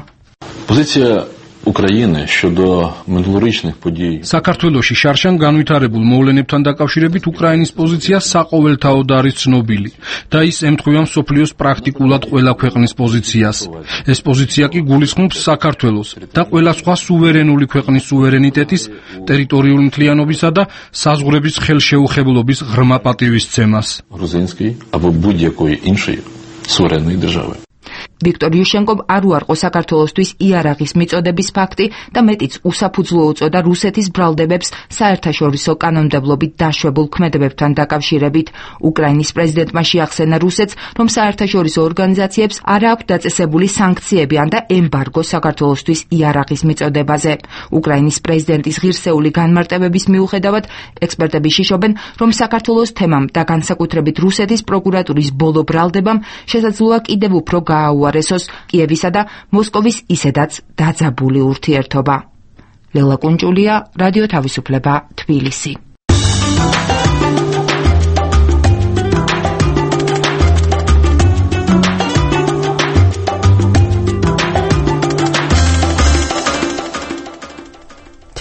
Позиція України щодо минулорічних подій. საქართველოში შარშან განვითარებულ მოვლენებთან დაკავშირებით უკრაინის პოზიცია საყოველთაოდ არის ცნობილი და ის ემთხვევა მსოფლიოს პრაქტიკულად ყველა ქვეყნის პოზიციას. ეს პოზიცია კი გულისხმობს საქართველოს და ყველა სხვა სუვერენული ქვეყნის სუვერენიტეტის, ტერიტორიული მთლიანობისა და საზღვრების ხელშეუხებლობის ღრმა პატივისცემას. Грузинської або будь-якої іншої суверенної держави. ვიქტორ იუშენკომ არ უარყო საქართველოსთვის იარაღის მიწოდების ფაქტი და მეტიც უსაფუძვლო უწოდა რუსეთის ბრალდებებს საერთაშორისო კანონმდებლობით დაშვებულ ქმედებებთან დაკავშირებით. უკრაინის პრეზიდენტმა შეახსენა რუსეთს, რომ საერთაშორისო ორგანიზაციებს არ აქვს დაწესებული სანქციები ან და ემბარგო საქართველოსთვის იარაღის მიწოდებაზე. უკრაინის პრეზიდენტის ღირსეული განმარტებების მიუხედავად, ექსპერტები შიშობენ, რომ საქართველოს თემამ და განსაკუთრებით რუსეთის პროკურატურის ბოლო ბრალდებამ შესაძლოა კიდევ უფრო გააუარესოს კიევისა და მოსკოვის ისედაც დაძაბული ურთიერთობა. ლელა კუნჭულია, რადიო თავისუფლება, თბილისი.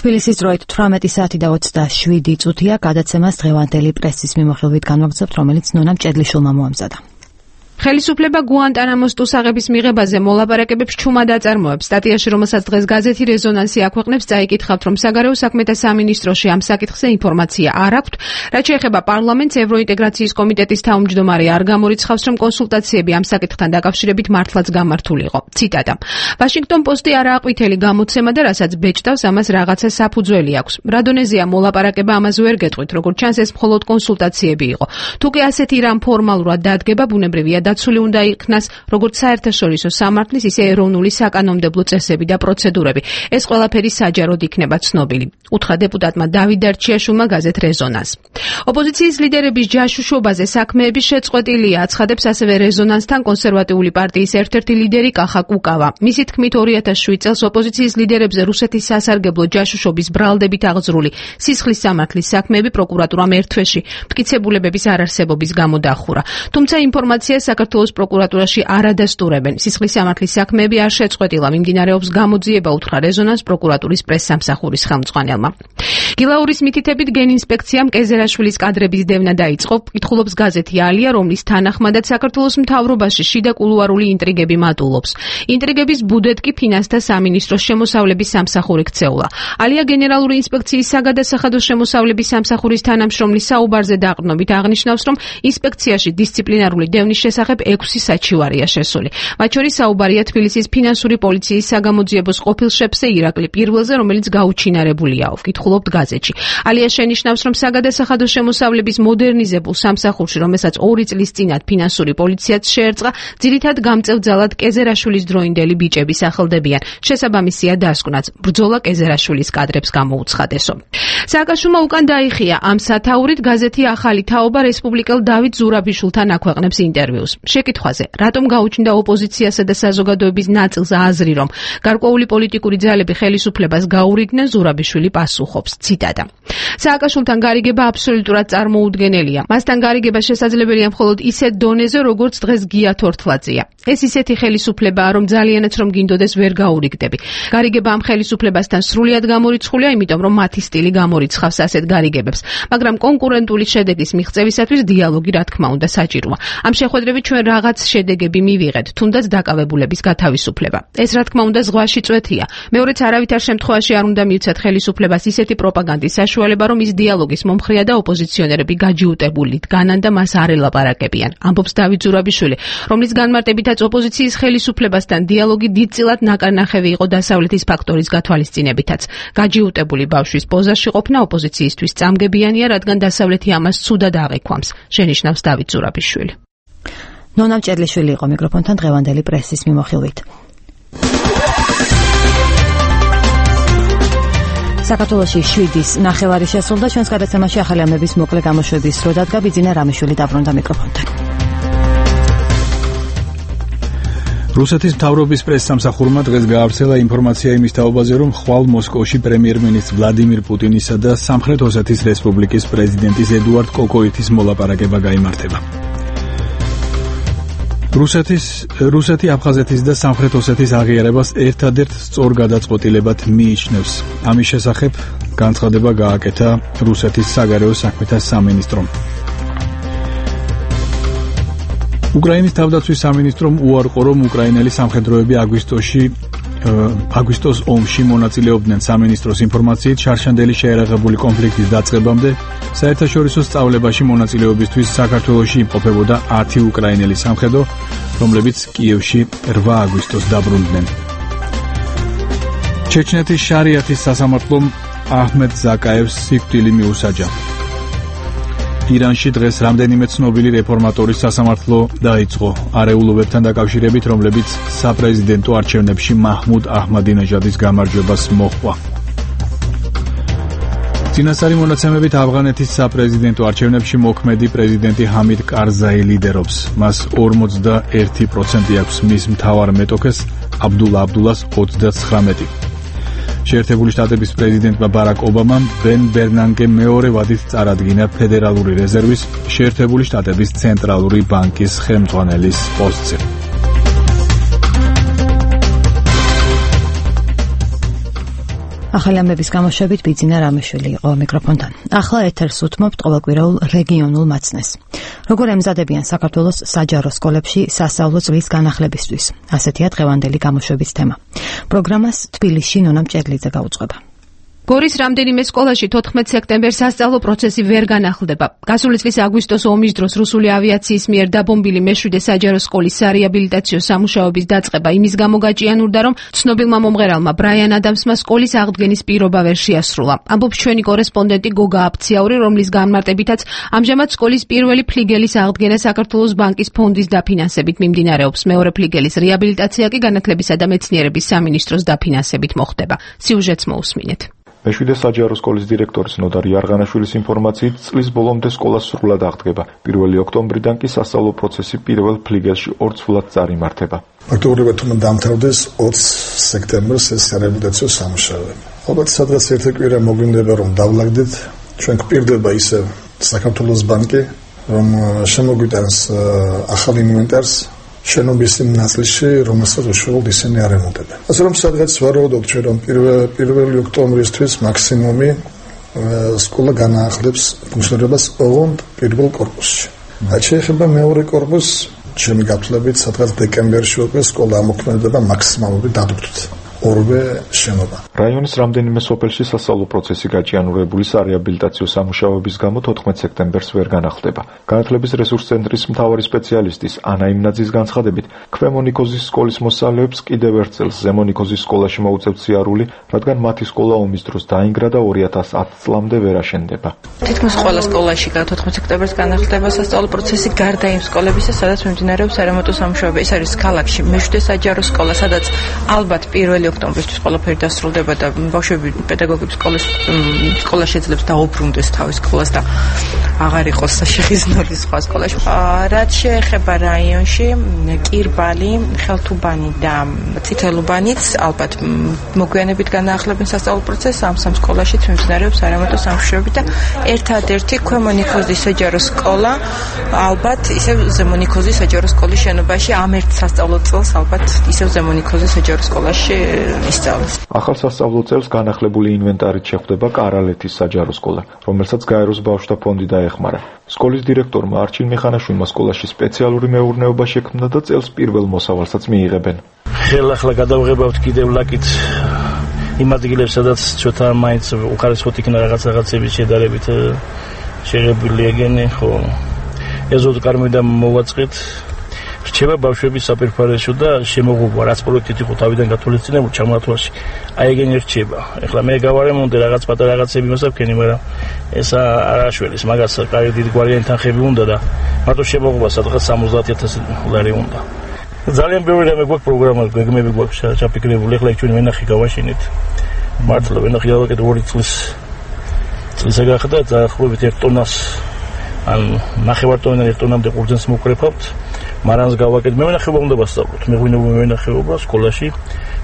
თბილისის დროით თვრამეტი საათი და ოცდაშვიდი წუთია. გადაცემას დღევანდელი პრესის მიმოხილვით განვაგრძობთ, რომელიც ნონა მჭედლიშვილმა მოამზადა. ხელისუფლება გუანტანამოს ტუსაღების მიღებაზე მოლაპარაკებებს ჩუმად აწარმოებს. სტატიაში, რომელსაც დღეს გაზეთი რეზონანსი აქვეყნებს, წაიკითხავთ, რომ საგარეო საქმეთა სამინისტროში ამ საკითხზე ინფორმაცია არ აქვთ. რაც შეეხება პარლამენტს, ევროინტეგრაციის კომიტეტის თავმჯდომარე არ გამორიცხავს, რომ კონსულტაციები ამ საკითხთან დაკავშირებით მართლაც გამართული იყო. ციტატა. ვაშინგტონ პოსტი არაა ყვითელი გამოცემა და რასაც ბეჭდავს, ამას რაღაცა საფუძველი აქვს. რადონეზია მოლაპარაკება ამაზე ვერ გეტყვით, როგორც ჩანს ეს მხოლოდ კონსულტაციები იყო. თუკი ასეთი რამ ფორმალურად დადგება, ბუნებრივია დაცული უნდა იქნას როგორც საერთაშორისო სამართლის, ისე ეროვნული საკანონმდებლო წესები და პროცედურები. ეს ყველაფერი საჯაროდ იქნება ცნობილი. უთხრა დეპუტატმა დავით დარჩიაშვილმა გაზეთ რეზონანს. ოპოზიციის ლიდერების ჯაშუშობაზე საქმეების შეწყვეტილია, აცხადებს ასევე რეზონანსთან კონსერვატიული პარტიის ერთ-ერთი ლიდერი კახა კუკავა. მისი თქმით, ორი ათას შვიდ წელს ოპოზიციის ლიდერებზე რუსეთის სასარგებლო ჯაშუშობის ბრალდებით აღძრული სისხლის სამართლის საქმეები პროკურატურამ ერთ თვეში მტკიცებულებების არარსებობის გამო დახურა. თუმცა ინფორმაციას საქართველოს პროკურატურაში არ ადასტურებენ. სისხლის სამართლის საქმეები არ შეწყვეტილა, მიმდინარეობს გამოძიება, უთხრა რეზონანს პროკურატურის პრესსამსახურის ხელმძღვანელმა. გილაურის მითითებით გენინსპექციამ კეზერაშვილის კადრების დევნა დაიწყო. კითხულობს გაზეთი ალია, რომლის თანახმადად საქართველოს მთავრობაში შიდა კულუარული ინტრიგები მატულობს. ინტრიგების ბუდეთ კი ფინანსთა სამინისტროს შემოსავლების სამსახური ქცეულა. ალია გენერალური ინსპექციის საგადასახადო შემოსავლების სამსახურის თანამშრომლის საუბარზე დაყრდნობით აღნიშნავს, რომ ინსპექციაში დისციპლინარული დევნის შესახებ ექვსი საჩივარია შესული. მათ შორის საუბარია თბილისის ფინანსური პოლიციის საგამოძიებოს ყოფილ შეფზე ირაკლი პირველზე, რომელიც გაუჩინარებულია. ვკითხულობთ გაზეთში. ალია შენიშნავს, რომ საგადასახადო შემოსავლების მოდერნიზებულ სამსახურში, რომელსაც ორი წლის წინათ ფინანსური პოლიციაც შეერწყა, ძირითად გამწევძალად კეზერაშვილის დროინდელი ბიჭები სახელდებიან. შესაბამისია დასკვნაც ბრძოლა კეზერაშვილის კადრებს გამოუცხადესო. სააკაშვილმა უკან დაიხია ამ სათაურით გაზეთი ახალი თაობა რესპუბლიკელ დავით ზურაბიშვილთან აქვეყნებს ინტერვიუს. შეკითხვაზე, რატომ გაუჩნდა ოპოზიციასა და საზოგადოების ნაწილს აზრი, რომ გარკვეული პოლიტიკური ძალები ხელისუფლებას გაურიგდნენ, ზურაბიშვილი პასუხობს. ციტატა. სააკაშვილთან გარიგება აბსოლუტურად წარმოუდგენელია. მასთან გარიგება შესაძლებელია მხოლოდ ისეთ დონეზე, როგორც დღეს გია თორთლაძეა. ეს ისეთი ხელისუფლებაა, რომ ძალიანაც რომ გინდოდეს ვერ გაურიგდები. გარიგება ამ ხელისუფლებასთან სრულიად გამორიცხულია, იმიტომ რომ მათი სტილი გამორიცხავს ასეთ გარიგებებს. მაგრამ კონკურენტული შედეგის მიღწევისათვის დიალოგი რა თქმა უნდა საჭიროა. ამ შეხვედრებით ჩვენ რაღაც შედეგები მივიღეთ, თუნდაც დაკავებულების გათავისუფლება. ეს რა თქმა უნდა ზღვაში წვეთია. მეორეც არავითარ შემთხვევაში არ უნდა მივცეთ ხელისუფლებას ისეთი პროპაგანდის საშუალება, რომ ის დიალოგის მომხრეა და ოპოზიციონერები გაჯიუტებული დგანან და მას არ ელაპარაკებიან. ამბობს დავით ზურაბიშვილი, რომლის განმარტებითაც ოპოზიციის ხელისუფლებასთან დიალოგი დიდწილად ნაკარნახევი იყო დასავლეთის ფაქტორის გათვალისწინებითაც. გაჯიუტებული ბავშვის პოზაში ყოფნა ოპოზიციისთვის წამგებიანია, რადგან დასავლეთი ამას ცუდად აღიქვამს, შენიშნავს დავით ზურაბიშვილი. ნონა მჭედლიშვილი იყო მიკროფონთან დღევანდელი პრესის მიმოხილვით. საქართველოში შვიდის ნახევარი შესრულდა, ჩვენს გადაცემაში ახალი ამების მოკლე გამოშვების დრო დადგა, ბიძინა რამიშვილი დაბრუნდა მიკროფონთან. რუსეთის მთავრობის პრესსამსახურმა დღეს გაავრცელა ინფორმაცია იმის თაობაზე, რომ ხვალ მოსკოვში პრემიერ-მინისტრ ვლადიმირ პუტინისა და სამხრეთ ოსეთის რესპუბლიკის პრეზიდენტის ედუარდ კოკოიტის მოლაპარაკება გაიმართება. რუსეთის რუსეთი აფხაზეთის და სამხრეთ ოსეთის აღიარებას ერთადერთ სწორ გადაწყვეტილებად მიიჩნევს. ამის შესახებ განცხადება გააკეთა რუსეთის საგარეო საქმეთა სამინისტრომ. უკრაინის თავდაცვის სამინისტრომ უარყო, რომ უკრაინელი სამხედროები აგვისტოში აგვისტოს ომში მონაწილეობდნენ. სამინისტროს ინფორმაციით, შარშანდელი შეერაღებული კონფლიქტის დაწყებამდე საერთაშორისო სწავლებაში მონაწილეობისთვის საქართველოში იმყოფებოდა ათი უკრაინელი სამხედრო, რომლებიც კიევში რვა აგვისტოს დაბრუნდნენ. ჩეჩნეთის შარიათის სასამართლომ აჰმედ ზაკაევს სიკვდილი მიუსაჯა. ირანში დღეს რამდენიმე ცნობილი რეფორმატორის სასამართლო დაიწყო არეულობებთან დაკავშირებით, რომლებიც საპრეზიდენტო არჩევნებში მაჰმუდ აჰმადინეჟადის გამარჯვებას მოჰყვა. წინასწარი მონაცემებით ავღანეთის საპრეზიდენტო არჩევნებში მოქმედი პრეზიდენტი ჰამიდ კარზაი ლიდერობს. მას ორმოცდაერთი პროცენტი აქვს, მის მთავარ მეტოქეს აბდულა აბდულას ოცდათხრამეტი. შეერთებული შტატების პრეზიდენტმა ბარაკ ობამამ ბენ ბერნანგემ მეორე ვადით წარადგინა ფედერალური რეზერვის შეერთებული შტატების ცენტრალური ბანკის ხელმძღვანელის პოსტზე. ახალი ამბების გამოშვებით ბიძინა რამიშვილი იყო მიკროფონთან. ახლა ეთერს უთმობთ ყოველკვირეულ რეგიონულ მაცნეს. როგორ ემზადებიან საქართველოს საჯარო სკოლებში სასწავლო წლის განახლებისთვის? ასეთია დღევანდელი გამოშვების თემა. პროგრამას თბილისში ნონა მჭედლიძე გაუძღვება. გორის რამდენიმე სკოლაში თოთხმეტ სექტემბერს სასწავლო პროცესი ვერ განახლდება. გასული წლის აგვისტოს ომის დროს რუსული ავიაციის მიერ დაბომბილი მეშვიდე საჯარო სკოლის სარეაბილიტაციო სამუშაოების დაწყება იმის გამო გაჭიანურდა, რომ ცნობილმა მომღერალმა ბრაიან ადამსმა სკოლის აღდგენის პირობა ვერ შეასრულა. ამბობს ჩვენი კორესპონდენტი გოგა აფციაური, რომლის განმარტებითაც ამჟამად სკოლის პირველი ფლიგელის აღდგენა საქართველოს ბანკის ფონდის დაფინანსებით მიმდინარეობს. მეორე ფლიგელის რეაბილიტაცია კი განათლებისა და მეცნიერების სამინისტროს დაფინანსებით მოხდება. სიუჟეტს მოусმინეთ. მეშვიდე საჯარო სკოლის დირექტორის ნოდარ იარღანაშვილის ინფორმაციით, წლის ბოლომდე სკოლა სრულად აღდგება. პირველი ოქტომბრიდან კი სასწავლო პროცესი პირველ ფლიგელში ორ ცვლად წარიმართება. ფაქტობრივად თუმცა დამთავრდეს ოცი სექტემბერს ეს რეაბილიტაციო სამუშაოები. ალბათ სადღაც ერთი კვირა მოგვინდება რომ დავლაგდეთ. ჩვენ გვპირდება ისე საქართველოს ბანკი, რომ შემოგვიტანს ახალ ინვენტარს შენობის იმ ნაწილში, რომელსაც უშუალოდ ისინი არემონტებენ. ასე რომ სადღაც ვარაუდობთ ჩვენ, რომ პირველი ოქტომბრისთვის მაქსიმუმი სკოლა განაახლებს ფუნქციონირებას ოღონდ პირველ კორპუსში. რაც შეეხება მეორე კორპუსს, ჩემი გათვლებით, სადღაც დეკემბერში უკვე სკოლა ამოქმედება მაქსიმალური დადუქით. ორვე შენობა. რაიონის რამდენიმე სოფელში სასწავლო პროცესი გაჭიანურებული სარეაბილიტაციო სამუშაოების გამო თოთხმეტ სექტემბერს ვერ განახლდება. განათლების რესურს ცენტრის მთავარი სპეციალისტის ანა იმნაძის განცხადებით, ქვემო ნიქოზის სკოლის მოსწავლეებს კიდევ ერთ წელს ზემო ნიქოზის სკოლაში მოუწევთ სიარული, რადგან მათი სკოლა ომის დროს დაინგრა და ორი ათას ათი წლამდე ვერ აშენდება. თითქმის ყველა სკოლაში თოთხმეტ სექტემბერს განახლდება სასწავლო პროცესი, გარდა იმ სკოლებისა, სადაც მიმდინარეობს სარემონტო სამუშაოები. ეს არის ქალაქში მეშვიდე საჯარო სკოლა, სადაც ალბათ პირველი ოქტომბერისთვის ყველაფერი დასრულდება და ბავშვები პედაგოგებს სკოლის სკოლა შეძლებს დაუბრუნდეს თავის სკოლას და აღარ იყოს შეხიზნული სხვა სკოლაში. რაც შეეხება რაიონში, კირბალი, ხელთუბანი და წითელუბანიც ალბათ მოგვიანებით განაახლებენ სასწავლო პროცესს ამ სამ სკოლაშიც მიმდინარეობს სარემონტო სამუშაოები და ერთადერთი ქვემო ნიქოზის საჯარო სკოლა ალბათ ისევ ზემო ნიქოზის საჯარო სკოლის შენობაში ამ ერთ სასწავლო წელს ალბათ ისევ ზემო ნიქოზის საჯარო სკოლაში ისწავლეს. ახალ სასწავლო წელს განახლებული ინვენტარით შეხვდება კარალეთის საჯარო სკოლა, რომელსაც გაეროს ბავშვთა ფონდი დაეხმარა. სკოლის დირექტორმა არჩილ მიხანაშვილმა სკოლაში სპეციალური მეურნეობა შექმნა და წელს პირველ მოსავალსაც მიიღებენ. ხელახლა გადავღებავთ კიდევ ლაკით იმ ადგილებს, სადაც ცოტა მაინც უხარისხოთ იქნა რაღაც რაღაცების შედარებით შეღებილი ეგენი, ხო ეზოდ კარმიდან მოვაწყეთ. რჩება ბავშვების საფერფარესო და შემოღობა, რაც პროექტით იყო თავიდან გათვალისწინებული ჩამოათვალში. აი ეგენი რჩება. ეხლა მე გავარემონტე რაღაც პატარა რაღაცები მოსაქვენი, მაგრამ ეს არ აშველის, მაგას კარგი დიდი გვარიანი თანხები უნდა და მარტო შემოღობა სადღაც სამოცდაათი ათასი დოლარი უნდა. ძალიან ბევრი რამე გვაქვს პროგრამა, გეგმები გვაქვს ჩაფიქრებული. ეხლა ჩვენ ვენახი გავაშინეთ. მართლა ვენახი გავაკეთე ორი წლის წლისა გახდა და ახლობით ერთ ტონას ან ნახევარ ტონიდან ერთ ტონამდე ყურძენს მოვკრეფავთ. მარანს გავაკეთე. მე ვენახება უნდა ვასწავლოთ. მე ღვინო ვენახება სკოლაში,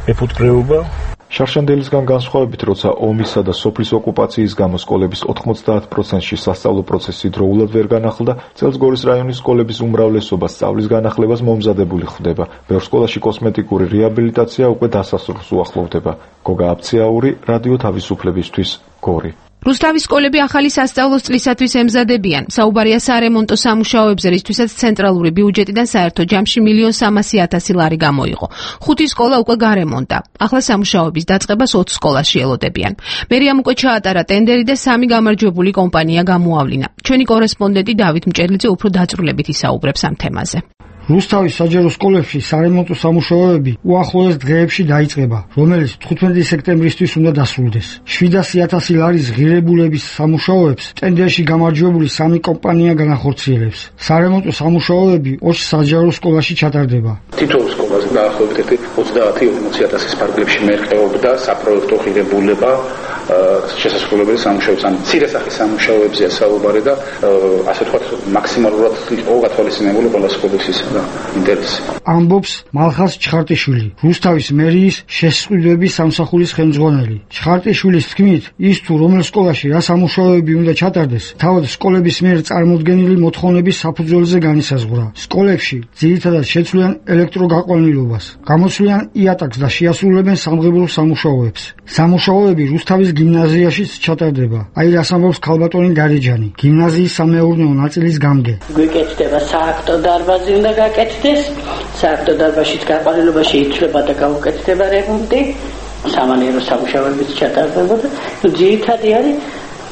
მეფუტკრეობა. შარშანდელისგან განსხვავებით, როცა ომისა და სოფლის ოკუპაციის გამო სკოლების ოთხმოცდაათ პროცენტში სასწავლო პროცესი დროულად ვერ განახლდა, წელს გორის რაიონის სკოლების უმრავლესობა სწავლის განახლებას მომზადებული ხვდება. ბევრ სკოლაში კოსმეტიკური რეაბილიტაცია უკვე დასასრულს უახლოვდება. გოგა აბციაური, რადიო თავისუფლებისთვის, გორი. რუსთავის სკოლები ახალი სასწავლო წლისათვის ემზადებიან. საუბარია სარემონტო სამუშაოებზე, რისთვისაც ცენტრალური ბიუჯეტიდან საერთო ჯამში მილიონ სამასი ათასი ლარი გამოიღო. ხუთი სკოლა უკვე გარემონტა. ახლა სამუშაოების დაწყებას ოცი სკოლაში ელოდებიან. მერიამ უკვე ჩაატარა ტენდერი და სამი გამარჯვებული კომპანია გამოავლინა. ჩვენი კორესპონდენტი დავით მჭერლიძე უფრო დაწვრილებით ისაუბრებს ამ თემაზე. რუსთავის საჯარო სკოლებში სარემონტო სამუშაოები უახლოეს დღეებში დაიწყება, რომელიც თხუთმეტი სექტემბრისთვის უნდა დასრულდეს. შვიდასი ათასი ლარის ღირებულების სამუშაოებს ტენდერში გამარჯვებული სამი კომპანია განახორციელებს. სარემონტო სამუშაოები ოც საჯარო სკოლაში ჩატარდება. თითოეულ სკოლაზე დაახლოებით ოცდაათი ორმოცი ათასის ფარგლებში მერყეობდა საპროექტო ღირებულება შესასრულებელი სამუშაოებს, ან მცირე სახის სამუშაოებზეა საუბარი და ასე ვთქვათ მაქსიმალურად იყო გათვალისწინებული ყველა სკოლის ის და ინტერესი. ამბობს მალხაზ ჩხარტიშვილი, რუსთავის მერიის შესწავლების სამსახურის ხელმძღვანელი. ჩხარტიშვილის თქმით, ის თუ რომელ სკოლაში რა სამუშაოები უნდა ჩატარდეს, თავად სკოლების მიერ წარმოდგენილი მოთხოვნების საფუძველზე განისაზღვრა. სკოლებში ძირითადად შეცვლიან ელექტროგაყვანილობას, გამოცვლიან იატაკს და შეასრულებენ სამღებულ სამუშაოებს. სამუშაოები რუსთავის გიმნაზიაშიც ჩატარდება. აი რას ამბობს ქალბატონი დარეჯანი, გიმნაზიის სამეურნეო ნაწილის გამგე. გვეკეთდება სააქტო დარბაზი უნდა გაკეთდეს, სააქტო დარბაზშიც გაყვანილობა შეიცვლება და გაუკეთდება რემონტი, სამანერო სამუშაოებიც ჩატარდება და ძირითადი არის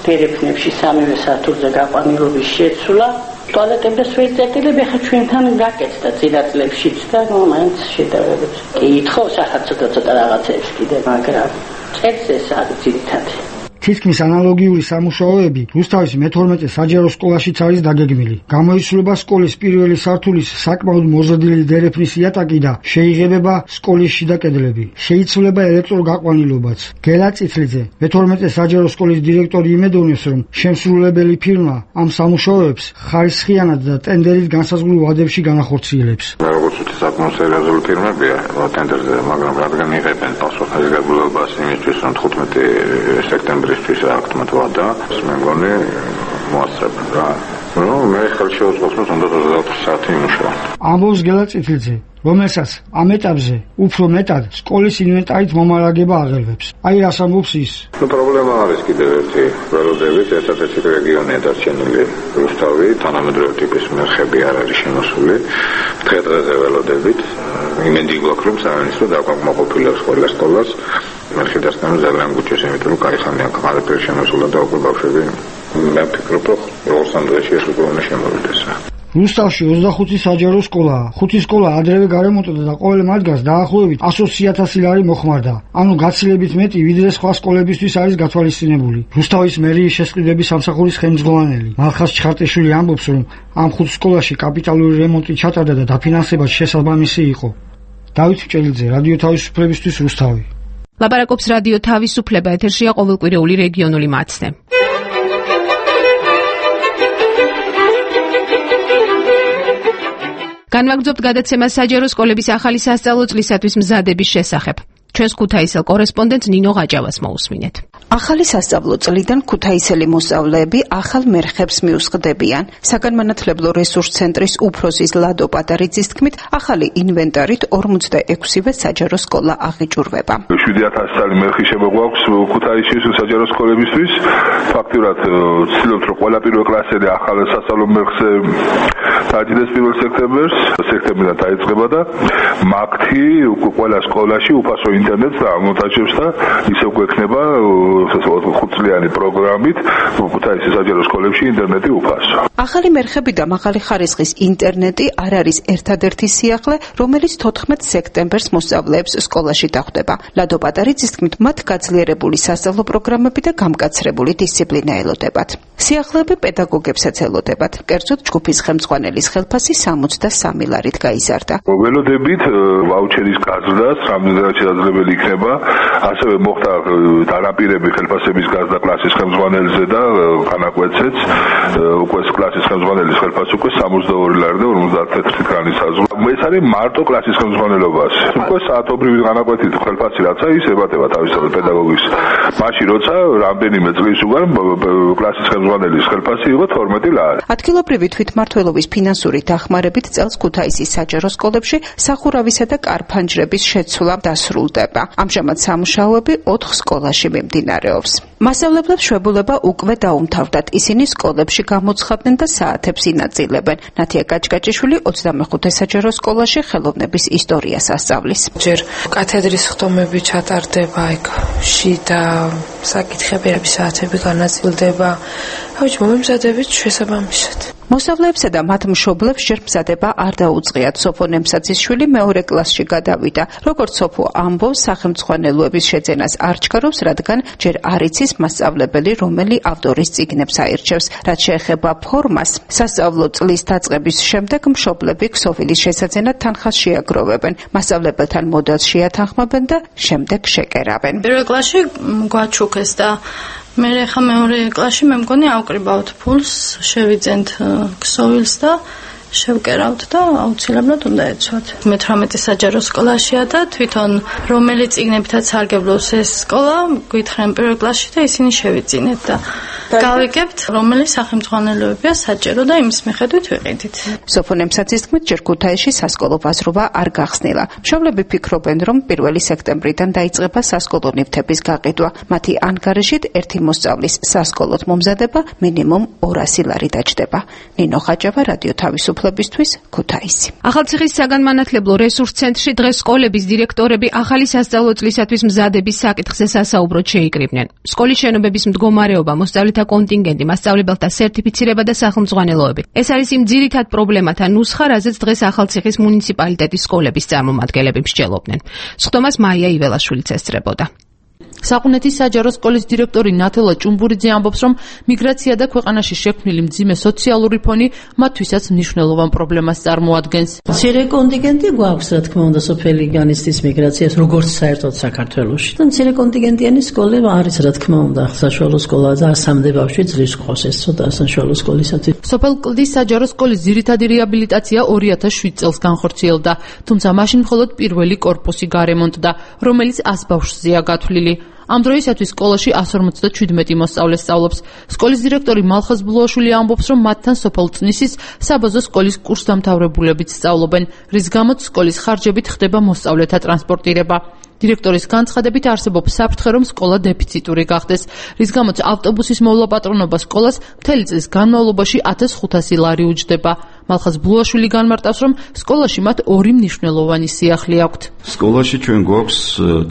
თერეფნებში სამივე სართულზე გაყვანილობის შეცვლა. ტუალეტები და სვეტები ხა ჩვენთან გაკეთდა წინაწლებშიც და მაინც შედარებით. კი ითხოვს ახლა ცოტა ცოტა რაღაცებს კიდე, მაგრამ წელს ეს არის ძირითადი. თითქმის ანალოგიური სამუშაოები რუსთავის მეთორმეტე საჯარო სკოლაშიც არის დაგეგმილი. გამოიცვლება სკოლის პირველი სართულის საკმაოდ მოზრდილი დერეფნის იატაკი და შეიღებება სკოლის შიდა კედლები. შეიცვლება ელექტროგაყვანილობაც. გელა წითლიძე, მეთორმეტე საჯარო სკოლის დირექტორი იმედოვნებს, რომ შემსრულებელი ფირმა ამ სამუშაოებს ხარისხიანად და ტენდერით განსაზღვრულ ვადებში განახორციელებს. როგორც ვთქვი, საკმაოდ სერიოზული ფირმებია ტენდერზე, მაგრამ რადგან იღებენ პასუხისმგებლობას იმისთვის, რომ თხუთმეტი სექტემბრის თვის აქტმად ვადა, მე მგონი მოასწრებ რა ნუ მე ხელშეუწყობს უნდა ოცდაოთხ საათი იმუშავა. ამბობს გელა წიფილძე, რომელსაც ამ ეტაპზე უფრო მეტად სკოლის ინვენტარით მომარაგება აღელვებს. აი რას ამბობს ის. ნუ პრობლემა არის კიდევ ერთი ველოდებით, ერთადერთი რეგიონია დარჩენილი რუსთავი, თანამედროვე ტიპის მერხები არ არის შემოსული. დღე-დღეზე ველოდებით იმედი გვაქვს რომ სამინისტრო დაკმაყოფილებს ყველა სკოლას. მერხედასთან ძალიან გუჩეს, იმიტომ რომ კაი ხანია ყველაფერი შემოსულა და უკვე ბავშვები მე ვფიქრობ რომ ორ სამ დღეში ეს უკვე უნდა შემოვიდეს. რუსთავში ოცდახუთი საჯარო სკოლაა. ხუთი სკოლა ადრევე გარემონტდა და ყოველ მათგანს დაახლოებით ათი ათასი ლარი მოხმარდა. ანუ გაცილებით მეტი ვიდრე სხვა სკოლებისთვის არის გათვალისწინებული. რუსთავის მერიის შესყიდვების სამსახურის ხელმძღვანელი მალხაზ ჩხარტიშვილი ამბობს, რომ ამ ხუთ სკოლაში კაპიტალური რემონტი ჩატარდა და დაფინანსება შესაბამისი იყო. დავით ჭელიძე, რადიო თავისუფლებისთვის, რუსთავი. ლაპარაკობს რადიო თავისუფლება, ეთერშია ყოველკვირეული რეგიონული მაცნე. განვაგრძობთ გადაცემას საჯარო სკოლების ახალი სასწავლო წლისათვის მზადების შესახებ. ჩვენს ქუთაისელ კორესპონდენტ ნინო ღაჯავას მოусმინეთ. ახალი სასწავლო წლიდან ქუთაისელი მოსწავლეები ახალ მერხებს მიუსხდებიან. საგანმანათლებლო რესურს ცენტრის უფროსის ლადო პატარიძის თქმით, ახალი ინვენტარით ორმოცდაექვსივე საჯარო სკოლა აღიჭურვება. შვიდი ათასი წელი მერხი შემოგვაქვს ქუთაისში საჯარო სკოლებისთვის. ფაქტურად ვცდილობთ რომ ყველა პირველ კლასელი ახალ სასწავლო მერხზე დაიწყდეს პირველ სექტემბერს, სექტემბრიდან დაიწყება და მაგთი ყველა სკოლაში უფასო ინტერნეტს ამონტაჟებს და ისევ გვექნება ხუთწლიანი პროგრამით ქუთაისის საჯარო სკოლებში ინტერნეტი უფასო. ახალი მერხები და მაღალი ხარისხის ინტერნეტი არ არის ერთადერთი სიახლე, რომელიც თოთხმეტ სექტემბერს მოსწავლეებს სკოლაში დახვდება. ლადო პატარიძის თქმით, მათ გაძლიერებული სასწავლო პროგრამები და გამკაცრებული დისციპლინა ელოდებათ. სიახლეები პედაგოგებსაც ელოდებათ. კერძოდ ჯგუფის ხელმძღვანელის ხელფასი სამოცდასამი ლარით გაიზარდა. ველოდებით ვაუჩერის გაზრდას რამდენადაც შესაძლებელი იქნება, ასევე მოხდა დანაპირები ხელფასების გაზრდა კლასის ხელმძღვანელზე და განაკვეთზეც უკვე კლასის ხელმძღვანელის ხელფასი უკვე სამოცდაორი ლარი და ორმოცდათერთი კრანის საზღვრა. ეს არის მარტო კლასის ხელმძღვანელობას. უკვე საათობრივი განაკვეთით ხელფასი რაცა ის ებატება თავისუფალ პედაგოგის. მაშინ როცა რამდენიმე წლის უკან კლასის ხელმძღვანელის ხელფასი იყო თორმეტი ლარი. ადგილობრივი თვითმმართველობის ფინანსური დახმარებით წელს ქუთაისის საჯარო სკოლებში სახურავისა და კარფანჯრების შეცვლა დასრულდება. ამჟამად სამუშაოები ოთხ სკოლაში მიმდინარეობს. მასწავლებლებს შვებულება უკვე დაუმთავრდათ. ისინი სკოლებში გამოცხადდნენ და საათებს ინაწილებენ. ნათია კაჭკაჭიშვილი ოცდამეხუთე საჯარო სკოლაში ხელოვნების ისტორიას ასწავლის. ჯერ კათედრის ხდომები ჩატარდება, იქ შიდა საკითხები, საათები განაწილდება. ავიჯ მომემზადებით შესაბამისად. მოსწავლეებსა და მათ მშობლებს ჯერ მზადება არ დაუწყიათ. სოფო ნემსაძისშვილი მეორე კლასში გადავიდა. როგორც სოფო ამბობს, სახელმძღვანელოების შეძენას არ ჩქარობს, რადგან ჯერ არ იცის მასწავლებელი რომელი ავტორის წიგნებს აირჩევს. რაც შეეხება ფორმას, სასწავლო წლის დაწყების შემდეგ მშობლები ქსოვილის შესაძენად თანხას შეაგროვებენ. მასწავლებელთან მოდელს შეათანხმებენ და შემდეგ შეკერავენ. პირველ კლასში გვაჩუქეს და მე ხა მეორე კლასში მე მგონი ავკრიბავთ ფულს, შევიძენთ ქსოვილს და შევკერავთ და აუცილებლად უნდა ეცვათ. მეთვრამეტე საჯარო სკოლაშია და თვითონ რომელი წიგნებითაც სარგებლობს ეს სკოლა, გითხრენ პირველ კლასში და ისინი შევიძინეთ და გავიგებთ რომელი სახელმძღვანელოებია საჭირო და იმის მიხედვით ვიყიდით. სოფო ნემსაძის თქმით, ჯერ ქუთაისში სასკოლო ბაზრობა არ გახსნილა. მშობლები ფიქრობენ, რომ პირველი სექტემბრიდან დაიწყება სასკოლო ნივთების გაყიდვა. მათი ანგარიშით ერთი მოსწავლის სასკოლოდ მომზადება მინიმუმ ორასი ლარი დაჯდება. ნინო ხაჯავა, რადიო თავისუფლებისთვის, ქუთაისი. ახალციხის საგანმანათლებლო რესურს ცენტრში დღეს სკოლების დირექტორები ახალი სასწავლო წლისათვის მზადების საკითხზე სასაუბროდ შეიკრიბნენ. სკოლის შენობების მდგომარეობა, მოსწავლეთა კონტინგენტი, მასწავლებელთა სერტიფიცირება და სახელმძღვანელოები. ეს არის იმ ძირითად პრობლემათა ნუსხა, რაზეც დღეს ახალციხის მუნიციპალიტეტის სკოლების წარმომადგენლები მსჯელობდნენ. სხდომას მაია იველაშვილიც ესწრებოდა. საყუნეთის საჯარო სკოლის დირექტორი ნათელა ჭუმბურიძე ამბობს, რომ მიგრაცია და ქვეყანაში შექმნილი მძიმე სოციალური ფონი მათთვისაც მნიშვნელოვან პრობლემას წარმოადგენს. მცირე კონტინგენტი გვაქვს, რა თქმა უნდა, სოფელი განიცდის მიგრაციას, როგორც საერთოდ საქართველოში. და მცირე კონტინგენტიანი სკოლა არის, რა თქმა უნდა, საშუალო სკოლა და სამდე ბავშვი ძრის ყავს, ეს ცოტა საშუალო სკოლისათვის. სოფელ კლდის საჯარო სკოლის ძირითადი რეაბილიტაცია ორი ათას შვიდ წელს განხორციელდა, თუმცა მაშინ მხოლოდ პირველი კორპუსი გარემონტდა, რომელიც ას ბავშვზეა გათვლილი. ამ დროისათვის სკოლაში εκατს ორმოცდაჩვიდმეტი მოსწავლე სწავლობს. სკოლის დირექტორი მალხაზ ბლუაშვილი ამბობს, რომ მათთან სოფელ წნისის საბაზო სკოლის კურსდამთავრებულებიც სწავლობენ, რის გამოც სკოლის ხარჯებით ხდება მოსწავლეთა ტრანსპორტირება. დირექტორის განცხადებით არსებობს საფრთხე, რომ სკოლა დეფიციტური გახდეს, რის გამოც ავტობუსის მოვლა-პატრონობა სკოლას მთელი წლის განმავლობაში ათას ხუთასი ლარი უჯდება. მალხაზ ბლუაშვილი განმარტავს, რომ სკოლაში მათ ორი მნიშვნელოვანი სიახლე აქვთ. სკოლაში ჩვენ გვაქვს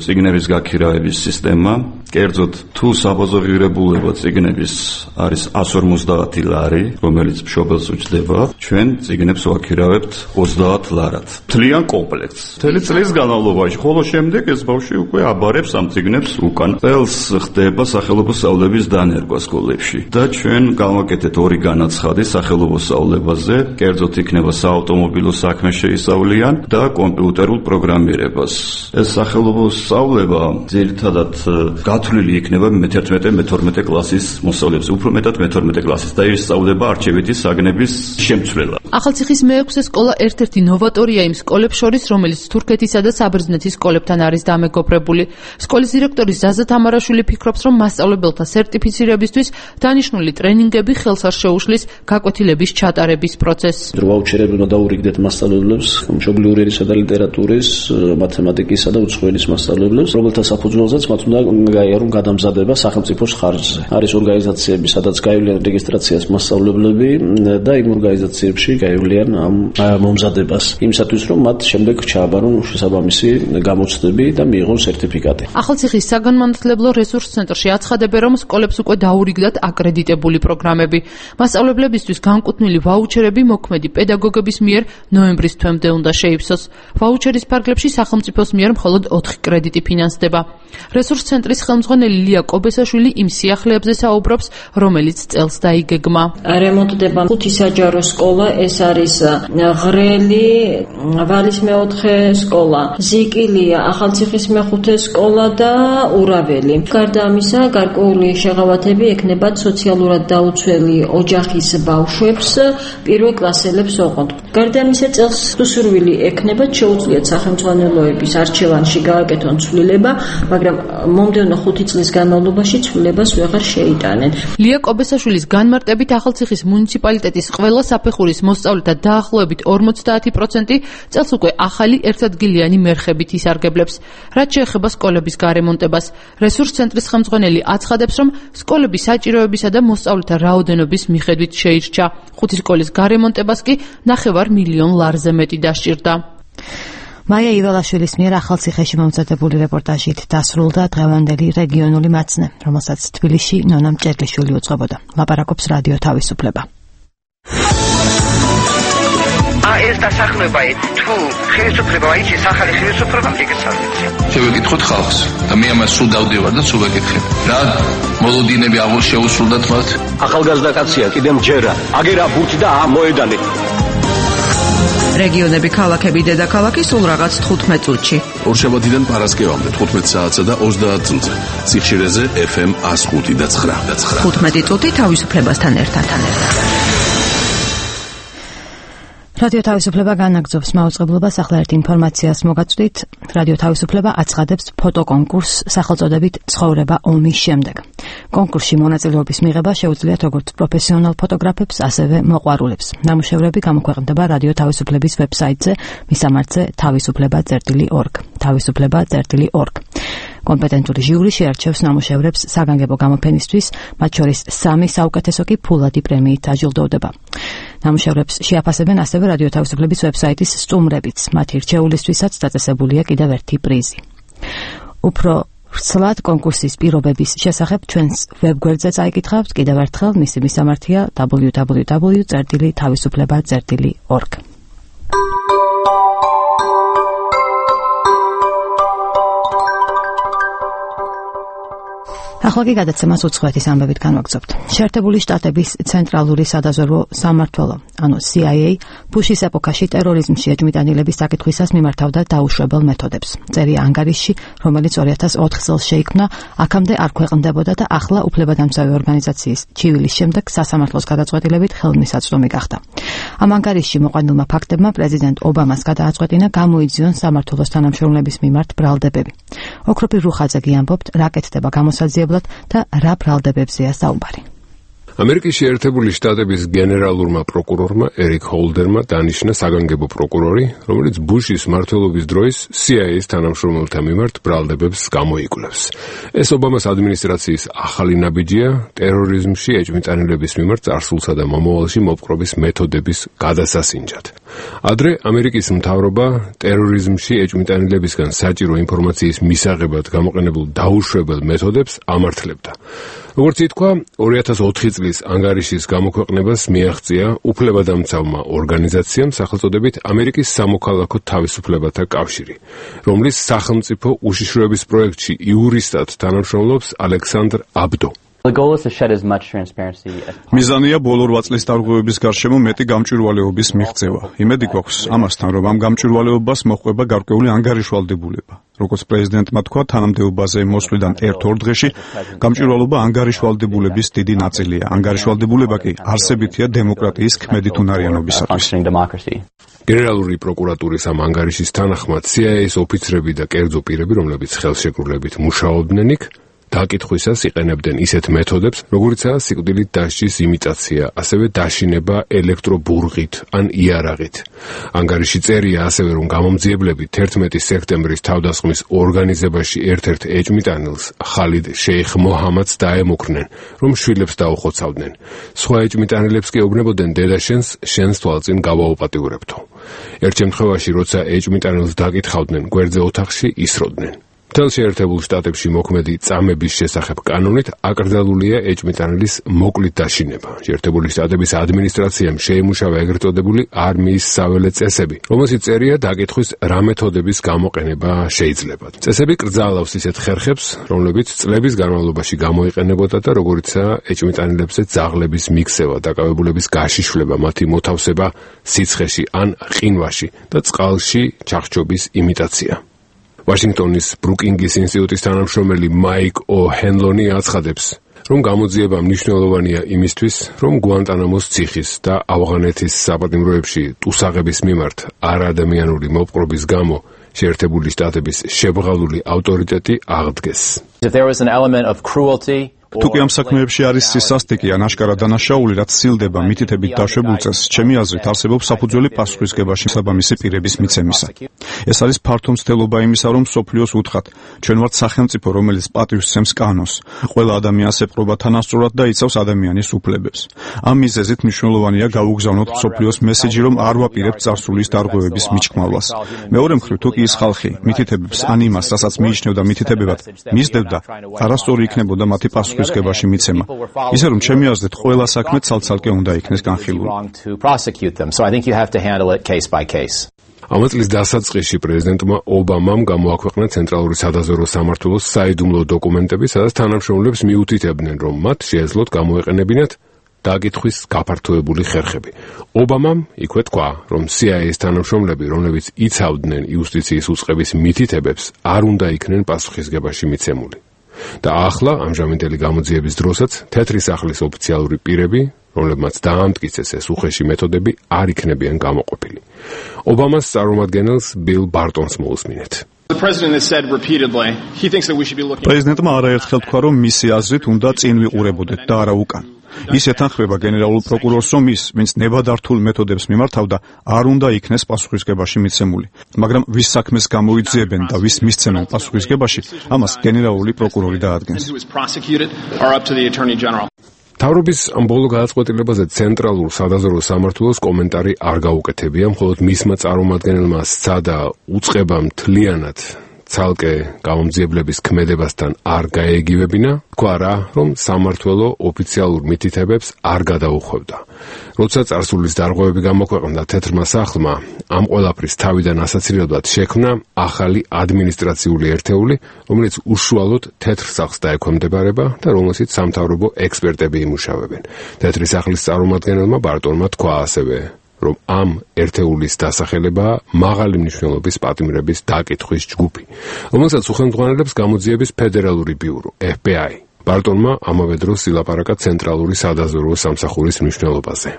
წიგნების გაქირავების სისტემა, კერძოდ თუ საბაზო ღირებულება წიგნების არის εκατს ორმოცდაათი ლარი, რომელიც მშობელს უჯდება, ჩვენ წიგნებს ვაქირავებთ ოცდაათ ლარად. მთლიან კომპლექტს. მთელი წლის განმავლობაში, ხოლო შემდეგ ეს ბავშვი უკვე აბარებს ამ წიგნებს უკან. წელს ხდება სახელმწიფო სწავლების დანერგვა სკოლებში და ჩვენ გავაკეთეთ ორი განაცხადი სახელმწიფო სწავლებაზე, კერძოდ იქნება საავტომობილო საქმე შეისწავლიან და კომპიუტერულ პროგრამირებას. ეს სახელმწიფო სწავლება ძირითადად გათვლილი იქნება მეთერთმეტე მეთორმეტე კლასის მოსწავლეებზე, უფრო მეტად მეთორმეტე კლასის და ისწავლება არჩევითი საგნების შემცვლელად. ახალციხის მეექვსე სკოლა ერთ-ერთი ნოვატორია იმ სკოლებს შორის, რომელიც თურქეთისა და საბერძნეთის სკოლებთან არის დამეგობრებული. სკოლის დირექტორი ზაზა თამარაშვილი ფიქრობს, რომ მასწავლებელთა სერტიფიცირებისთვის დანიშნული ტრენინგები ხელს არ შეუშლის გაკვეთილების ჩატარების პროცესს. ვაუჩერები უნდა დაურიგდეთ მასწავლებლებს, მშობლიური ენისა და ლიტერატურის, მათემატიკისა და უცხოენის მასწავლებლებს, რომელთა საფუძველზეც მათ უნდა გაიარონ გადამზადება სახელმწიფოს ხარჯზე. არის ორგანიზაციები, სადაც გაივლიან რეგისტრაციას მასწავლებლები და იმ ორგანიზაციებში გაივლიან ამ მომზადებას. იმისათვის, რომ მათ შემდეგ ჩააბარონ შესაბამისი გამოცდები და მიიღონ სერტიფიკატი. ახალციხის საგანმანათლებლო რესურს ცენტრში აცხადებენ, რომ სკოლებს უკვე დაურიგდათ აკრედიტებული პროგრამები. მასწავლებლებისთვის განკუთვნილი ვაუჩერები მოქმედი პედაგოგების მიერ ნოემბრის თვემდე უნდა შეივსოს. ვაუჩერის ფარგლებში სახელმწიფოს მიერ მხოლოდ ოთხი კრედიტი ფინანსდება. რესურს ცენტრის ხელმძღვანელი ლია კობესაშვილი იმ სიახლეებზე საუბრობს, რომელიც წელს დაიგეგმა. რემონტდება ხუთი საჯარო სკოლა, ეს არის ღრელი, ვალის მეოთხე სკოლა, ზიკილია, ახალციხის მეხუთე სკოლა და ურაველი. გარდა ამისა, გარკვეული შეღავათები ექნებათ სოციალურად დაუცველი ოჯახის ბავშვებს, პირველ კლასელებს ოღონდ. გარდა ამისა, წელს სურვილი ექნებათ შეუძლიათ სახელმძღვანელოების არჩევანში გააკეთონ ცვლილება, მაგრამ მომდევნო ხუთი წლის განმავლობაში ცვლილებას ვეღარ შეიტანენ. ლია კობესაშვილის განმარტებით ახალციხის მუნიციპალიტეტის ყველა საფეხურის მოსწავლეთა დაახლოებით ორმოცდაათი პროცენტი წელს უკვე ახალი ერთადგილიანი მერხებით ისარგებლებს. რაც შეეხება სკოლების გარემონტებას, რესურს ცენტრის ხელმძღვანელი აცხადებს, რომ სკოლები საჭიროებისა და მოსწავლეთა რაოდენობის მიხედვით შეირჩა. ხუთი სკოლის გარემონტებას კი ნახევარ მილიონ ლარზე მეტი დასჭირდა. მაია ივალაშვილის მიერ ახალციხეში მომზადებული რეპორტაჟით დასრულდა დღევანდელი რეგიონული მაცნე, რომელსაც თბილისში ნონა მჭედლიშვილი უძღვებოდა. ლაპარაკობს რადიო თავისუფლება. ეს დასახლება თუ ხელისუფლება აიჩის ახალი ხელისუფლება მიგეცალით. შევეკითხოთ ხალხს და მე ამას სულ დავდივარ და სულ ვეკითხებ. რა მოლოდინები აღარ შეუსრულდათ მათ? ახალგაზრდა კაცია, კიდემ ჯერა, აგერა ბურთი და ამოედანი. რეგიონები, ქალაქები, დედაქალაქი სულ რაღაც თხუთმეტ წუთში. ორშაბათიდან პარასკევამდე თხუთმეტ საათსა და ოცდაათ წუთზე. სიხშირეზე ეფ ემ εκას ხუთი და ცხრა. თხუთმეტი წუთი თავისუფლებასთან ერთად. რადიო თავისუფლება განაგრძობს მაუწყებლობას. ახლა ერთ ინფორმაციას მოგაწვდით. რადიო თავისუფლება აცხადებს ფოტოკონკურსს სახელწოდებით ცხოვრება ომის შემდეგ. კონკურსში მონაწილეობის მიღება შეუძლიათ როგორც პროფესიონალ ფოტოგრაფებს, ასევე მოყვარულებს. ნამუშევრები გამოქვეყნდება რადიო თავისუფლების ვებსაიტზე, მისამართზე თავისუფლება წერტილი ორგ. თავისუფლება წერტილი ორგ. კომპეტენტური ჟიური შეარჩევს ნამუშევრებს საგანგებო გამოფენისთვის, მათ შორის სამი საუკეთესო კი ფულადი პრემიით დაჯილდოვდება. ნამუშევრებს შეაფასებენ ასევე რადიო თავისუფლების ვებსაიტის სტუმრებიც. მათი რჩეულისთვისაც დაწესებულია კიდევ ერთი პრიზი. უფრო ვრცლად კონკურსის პირობების შესახებ ჩვენს ვებგვერდზე წაიკითხავთ. კიდევ ერთხელ მისი მისამართია დაბლიუ დაბლიუ დაბლიუ წერტილი თავისუფლება წერტილი ორგ. ახლა კი გადაცემას უცხოეთის ამბებით განვაგრძობთ. შეერთებული შტატების ცენტრალური სადაზვერვო სამმართველო, ანუ C I A, ბუშის ეპოქაში ტერორიზმში ეჭვმიტანილების საკითხვისას მიმართავდა დაუშვებელ მეთოდებს. წერია ანგარიშში, რომელიც ორი ათას ოთხ წელს შეიქმნა, აქამდე არ ქვეყნდებოდა და ახლა უფლებადამცავი ორგანიზაციის ჩივილის შემდეგ სასამართლოს გადაწყვეტილებით ხელმისაწვდომი გახდა. ამ ანგარიშში მოყვანილმა ფაქტებმა პრეზიდენტ ობამას გადააწყვეტინა გამოიძიონ სამმართველოს თანამშრომლების მიმართ ბრალდებები. ოქროპირ რუხაძე ამბობთ, რა კეთდება გამოსაძიებლად და რა ბრალდებებზეა საუბარი. ამერიკის შეერთებული შტატების გენერალურმა პროკურორმა ერიკ ჰოლდერმა დანიშნა საგანგებო პროკურორი, რომელიც ბუშის მმართველობის დროის C I A-ის თანამშრომელთა მიმართ ბრალდებებს გამოიკვლევს. ეს ობამას ადმინისტრაციის ახალი ნაბიჯია ტერორიზმში ეჭვმიტანილების მიმართ წარსულსა და მომავალში მოპყრობის მეთოდების გადასასინჯად. ადრე ამერიკის მთავრობა ტერორიზმში ეჭვმიტანილებისგან საჭირო ინფორმაციის მისაღებად გამოყენებულ დაუშვებელ მეთოდებს ამართლებდა. როგორც ითქვა, ორი ათას ოთხი წლის ანგარიშის გამოქვეყნებას მიაღწია უფლებადამცავმა ორგანიზაციამ სახელწოდებით ამერიკის სამოქალაქო თავისუფლებათა კავშირი, რომლის სახელმწიფო უშიშროების პროექტში იურისტად თანამშრომლობს ალექსანდრ აბდო. მიზანია ბოლო რვა წლის დარღვევების გარშემო მეტი გამჭვირვალეობის მიღწევა. იმედი გვაქვს ამასთან, რომ ამ გამჭვირვალეობას მოჰყვება გარკვეული ანგარიშვალდებულება. როგორც პრეზიდენტმა თქვა, თანამდებობაზე მოსვლიდან ერთ-ორ დღეში გამჭვირვალობა ანგარიშვალდებულების დიდი ნაწილია. ანგარიშვალდებულება კი არსებითია დემოკრატიის ქმედითუნარიანობისათვის. გენერალური პროკურატურის ამ ანგარიშის თანახმად C I A-ის ოფიცრები და კერძო პირები, რომლებიც ხელშეკრულებით მუშაობდნენ იქ, დაკითხვისას იყენებდნენ ისეთ მეთოდებს, როგორიცაა სიკვდილით დასჯის იმიტაცია, ასევე დაშინება ელექტრობურღით ან იარაღით. ანგარიში წერია ასევე, რომ გამომძიებლები თერთმეტი სექტემბრის თავდასხმის ორგანიზებაში ერთ-ერთ ეჭვმიტანილს, ხალიდ შეიხ მოჰამადს დაემუქრნენ, რომ შვილებს დაუხოცავდნენ. სხვა ეჭვმიტანილებს კი ეუბნებოდნენ დედაშენს, შენს თვალწინ გავაუპატიურებთო. ერთ შემთხვევაში, როცა ეჭვმიტანილს დაკითხავდნენ, გვერდზე ოთახში ისროდნენ. მთელ შეერთებულ შტატებში მოქმედი წამების შესახებ კანონით აკრძალულია ეჭვმიტანილის მოკლით დაშინება. შეერთებული შტატების ადმინისტრაციამ შეიმუშავა ეგრეთ წოდებული არმიის საველე წესები, რომელშიც წერია დაკითხვის რა მეთოდების გამოყენება შეიძლება. წესები კრძალავს ისეთ ხერხებს, რომლებიც წლების განმავლობაში გამოიყენებოდა და როგორიცაა ეჭვმიტანილებზე ძაღლების მიქსევა, დაკავებულების გაშიშვლება, მათი მოთავსება სიცხეში ან ყინვაში და წყალში ჩახჭობის იმიტაცია. ვაშინგტონის ბრუკინგის ინსტიტუტის თანამშრომელი მაიკ ო'ჰენლონი აცხადებს, რომ გამოძიება მნიშვნელოვანია იმისთვის, რომ გუანტანამოს ციხის და ავღანეთის საპატიმროებში ტუსაღების მიმართ არაადამიანური მოპყრობის გამო შეერთებული შტატების შებღალული ავტორიტეტი აღდგეს. თუ კი ამ საქმეებში არის სისასტიკე ან აშკარა დანაშაული, რაც სცილდება მითითებით დაშვებულ წესს, ჩემი აზრით არსებობს საფუძველი პასუხისგებაში საბამისი პირების მიცემისა. ეს არის ფართო მცდელობა იმისა, რომ მსოფლიოს უთხრათ, ჩვენ ვართ სახელმწიფო, რომელიც პატივს სცემს კანონს, ყველა ადამიანს ეპყრობა თანასწორად და იცავს ადამიანის უფლებებს. ამ მიზეზით მნიშვნელოვანია გაუგზავნოთ მსოფლიოს მესეჯი, რომ არ ვაპირებთ წარსულის დარღვევების მიჭკმავლას. მეორე მხრივ, თუ კი ის ხალხი მითითებებს ან იმას, რასაც მიიჩნევდა მითითებებად, მისდევდა, არასწორი იქნებოდა მათი პასუხი გებაში მიცემა. ისე რომ ჩემი აზრით ყველა საქმე ცალ-ცალკე უნდა იქნეს განხილული. ამ წლის დასაწყისში პრეზიდენტმა ობამამ გამოაქვეყნა ცენტრალური სადაზვერვო სამმართველოს საიდუმლო დოკუმენტები, სადაც თანამშრომლებს მიუთითებდნენ, რომ მათ შეეძლოთ გამოეყენებინათ დაკითხვის გაფართოებული ხერხები. ობამამ იქვე თქვა, რომ C I A-ის თანამშრომლები, რომლებიც იცავდნენ იუსტიციის უწყების მითითებებს, არ უნდა იქნენ პასუხისგებაში მიცემული. და ახლა ამჟამინდელი გამოძიების დროსაც თეთრი სახლის ოფიციალური პირები, რომლებმაც დაამტკიცეს ეს უხეში მეთოდები, არ იქნებიან გამოყოფილი. ობამას წარმომადგენელს ბილ ბარტონს მოусმინეთ. პრეზიდენტმა არაერთხელ თქვა, რომ მისი აზრით უნდა წინ ვიყურებოდეთ და არა უკან. ის ეთანხმება გენერალურ პროკურორს, რომ ის, ვინც ნებადართულ მეთოდებს მიმართავდა, არ უნდა იქნეს პასუხისგებაში მიცემული. მაგრამ ვის საქმეს გამოიძიებენ და ვის მისცემენ პასუხისგებაში, ამას გენერალური პროკურორი დაადგენს. მთავრობის ამ ბოლო გადაწყვეტილებაზე ცენტრალურ სადაზვერვო სამმართველოს კომენტარი არ გაუკეთებია, მხოლოდ მისმა წარმომადგენელმა სცადა უწყება მთლიანად ცალკე გამომძიებლების ქმედებასთან არ გაეგივებინა, თქვა რა, რომ სამმართველო ოფიციალურ მითითებებს არ გადაუხვევდა. როცა წარსულის დარღვევები გამოქვეყნდა თეთრმა სახლმა, ამ ყველაფრის თავიდან ასაცილებლად შექმნა ახალი ადმინისტრაციული ერთეული, რომელიც უშუალოდ თეთრ სახლს დაექვემდებარება და რომელშიც სამთავრობო ექსპერტები იმუშავებენ. თეთრი სახლის წარმომადგენელმა ბარტონმა თქვა ასევე, რომ ამ ერთეულის დასახელებაა მაღალი მნიშვნელობის პატიმრების დაკითხვის ჯგუფი, რომელსაც უხელმძღვანელებს გამოძიების ფედერალური ბიურო ეფ ბი აი. ბარტონმა ამავე დროს ილაპარაკა ცენტრალური სადაზვერვო სამსახურის მნიშვნელობაზე.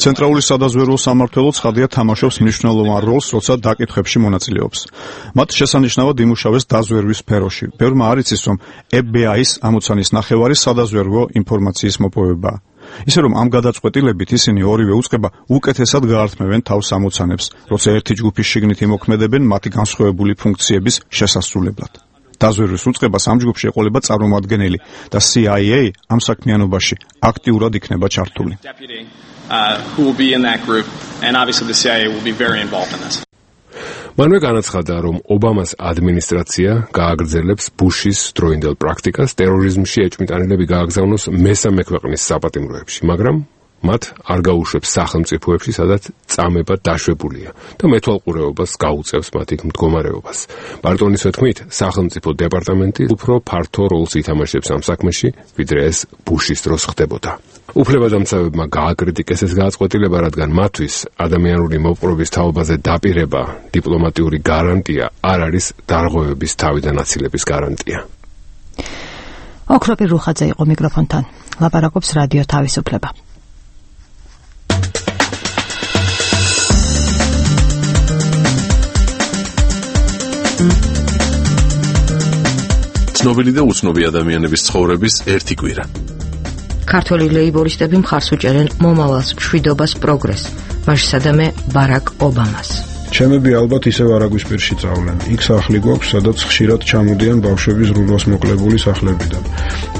ცენტრალური სადაზვერვო სამმართველო ცხადია თამაშობს მნიშვნელოვან როლს, როცა დაკითხებში მონაწილეობს. მათ შესანიშნავად იმუშავეს დაზვერვის სფეროში. ბევრმა არ იცის, რომ ეფ ბი აის ამოცანის ნახევარი სადაზვერვო ინფორმაციის მოპოვებაა. ისე რომ ამ გადაწყვეტილებით ისინი ორივე უწყება უკეთესად გაართმევენ თავს ამოცანებს, როცა ერთი ჯგუფის შიგნით იმოქმედებენ მათი განსხვავებული ფუნქციების შესასრულებლად. დაზვერვის უწყებას ამ ჯგუფში ეყოლება წარმომადგენელი და სი აი ეი ამ საქმიანობაში აქტიურად იქნება ჩართული. მანვე განაცხადა, რომ ობამას ადმინისტრაცია გააგრძელებს ბუშის დროინდელ პრაქტიკას ტერორიზმში ეჭვმიტანილები გააგზავნოს მესამე ქვეყნის საპატიმროებში, მაგრამ მათ არ გაუშვებს სახელმწიფოებში, სადაც წამება დაშვებულია და მეთვალყურეობას გაუწევს მათ იქ მდგომარეობას. ბარტონის თქმით, სახელმწიფო დეპარტამენტი უფრო ფართო როლს ითამაშებს ამ საქმეში, ვიდრე ეს ბუშის დროს ხდებოდა. უფლებადამცავებმა გააკრიტიკეს ეს გადაწყვეტილება, რადგან მათთვის ადამიანური მოპყრობის თაობაზე დაპირება, დიპლომატიური გარანტია არ არის დარღვევების თავიდან აცილების გარანტია. ოქროპირ რუხაძე იყო მიკროფონთან. ლაპარაკობს რადიო თავისუფლება. ცნობილი და უცნობი ადამიანების ცხოვრების ერთი კვირა. ქართველი ლეიბორისტები მხარს უჭერენ მომავალს, მშვიდობას, პროგრესს, მასშტაბე ბარაკ ობამას. ჩემები ალბათ ისევ არაგვისპირში წავლენ. იქ სახლი გვაქვს, სადაც ხშირად ჩამოდიან ბავშვების რუდას მოკლებული სახლებიდან.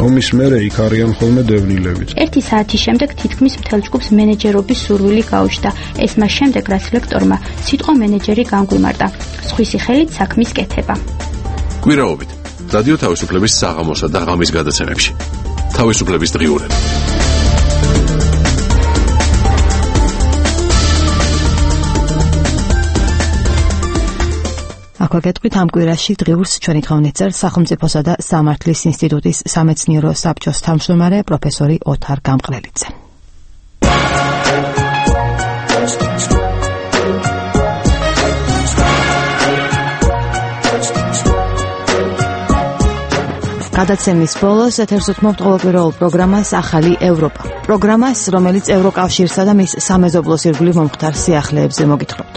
ომის მერე იქ არიან ხოლმე დევნილებიც. ერთი საათის შემდეგ თითქმის მთელ ჯგუფს მენეჯერობის სურვილი გაუჩნდა. ეს მას შემდეგ, რაც ლექტორმა სიტყვა მენეჯერი განგვიმარტა. სხვისი ხელით საქმის კეთება. კვირაობით რადიო თავისუფლების საღამოსა და ღამის გადაცემებში. თავისუფლების დღიურები. აქვე გეტყვით ამ კვირაში დღიურს ჩვენი თხოვნით წერს სახელმწიფოსა და სამართლის ინსტიტუტის სამეცნიერო საბჭოს თავმჯდომარე პროფესორი ოთარ გამყრელიძე. გადაცემის ბოლოს ეთერს უთმობთ ყოველკვირეულ პროგრამას ახალი ევროპა. პროგრამას, რომელიც ევროკავშირსა და მის სამეზობლოს ირგვლივ მომხდარ სიახლეებზე მოგითხრობთ.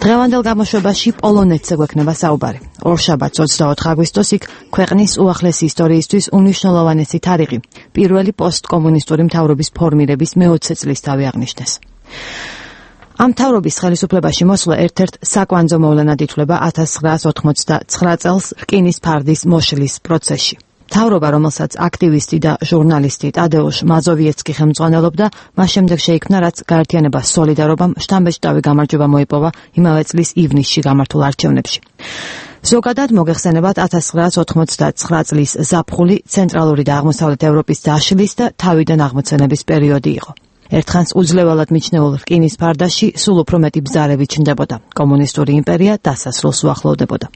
დღევანდელ გამოშვებაში პოლონეთზე გვექნება საუბარი. ორშაბათს ოცდაოთხ აგვისტოს იქ ქვეყნის უახლესი ისტორიისთვის უმნიშვნელოვანესი თარიღი, პირველი პოსტკომუნისტური მთავრობის ფორმირების მეოცე წლისთავი აღნიშნეს. ამ მთავრობის ხელისუფლებაში მოსვლა ერთ-ერთ საკვანძო მოვლენად ითვლება ათას ცხრაას ოთხმოცდაცხრა წელს რკინის ფარდის მოშლის პროცესში. მთავრობა, რომელსაც აქტივისტი და ჟურნალისტი ტადეუშ მაზოვიეცკი ხელმძღვანელობდა, მას შემდეგ შეიქმნა, რაც გაერთიანებას სოლიდარობამ შთამბეჭდავი გამარჯვება მოიპოვა იმავე წლის ივნისში გამართულ არჩევნებში. ზოგადად მოგეხსენებათ ათას ცხრაას ოთხმოცდაცხრა წლის ზაფხული ცენტრალური და აღმოსავლეთ ევროპის დაშლის და თავიდან აღმოცენების პერიოდი იყო. ერთხანს უძლეველად მიჩნეულ რკინის ფარდაში სულ უფრო მეტი ბზარები ჩნდებოდა. კომუნისტური იმპერია დასასრულს უახლოვდებოდა.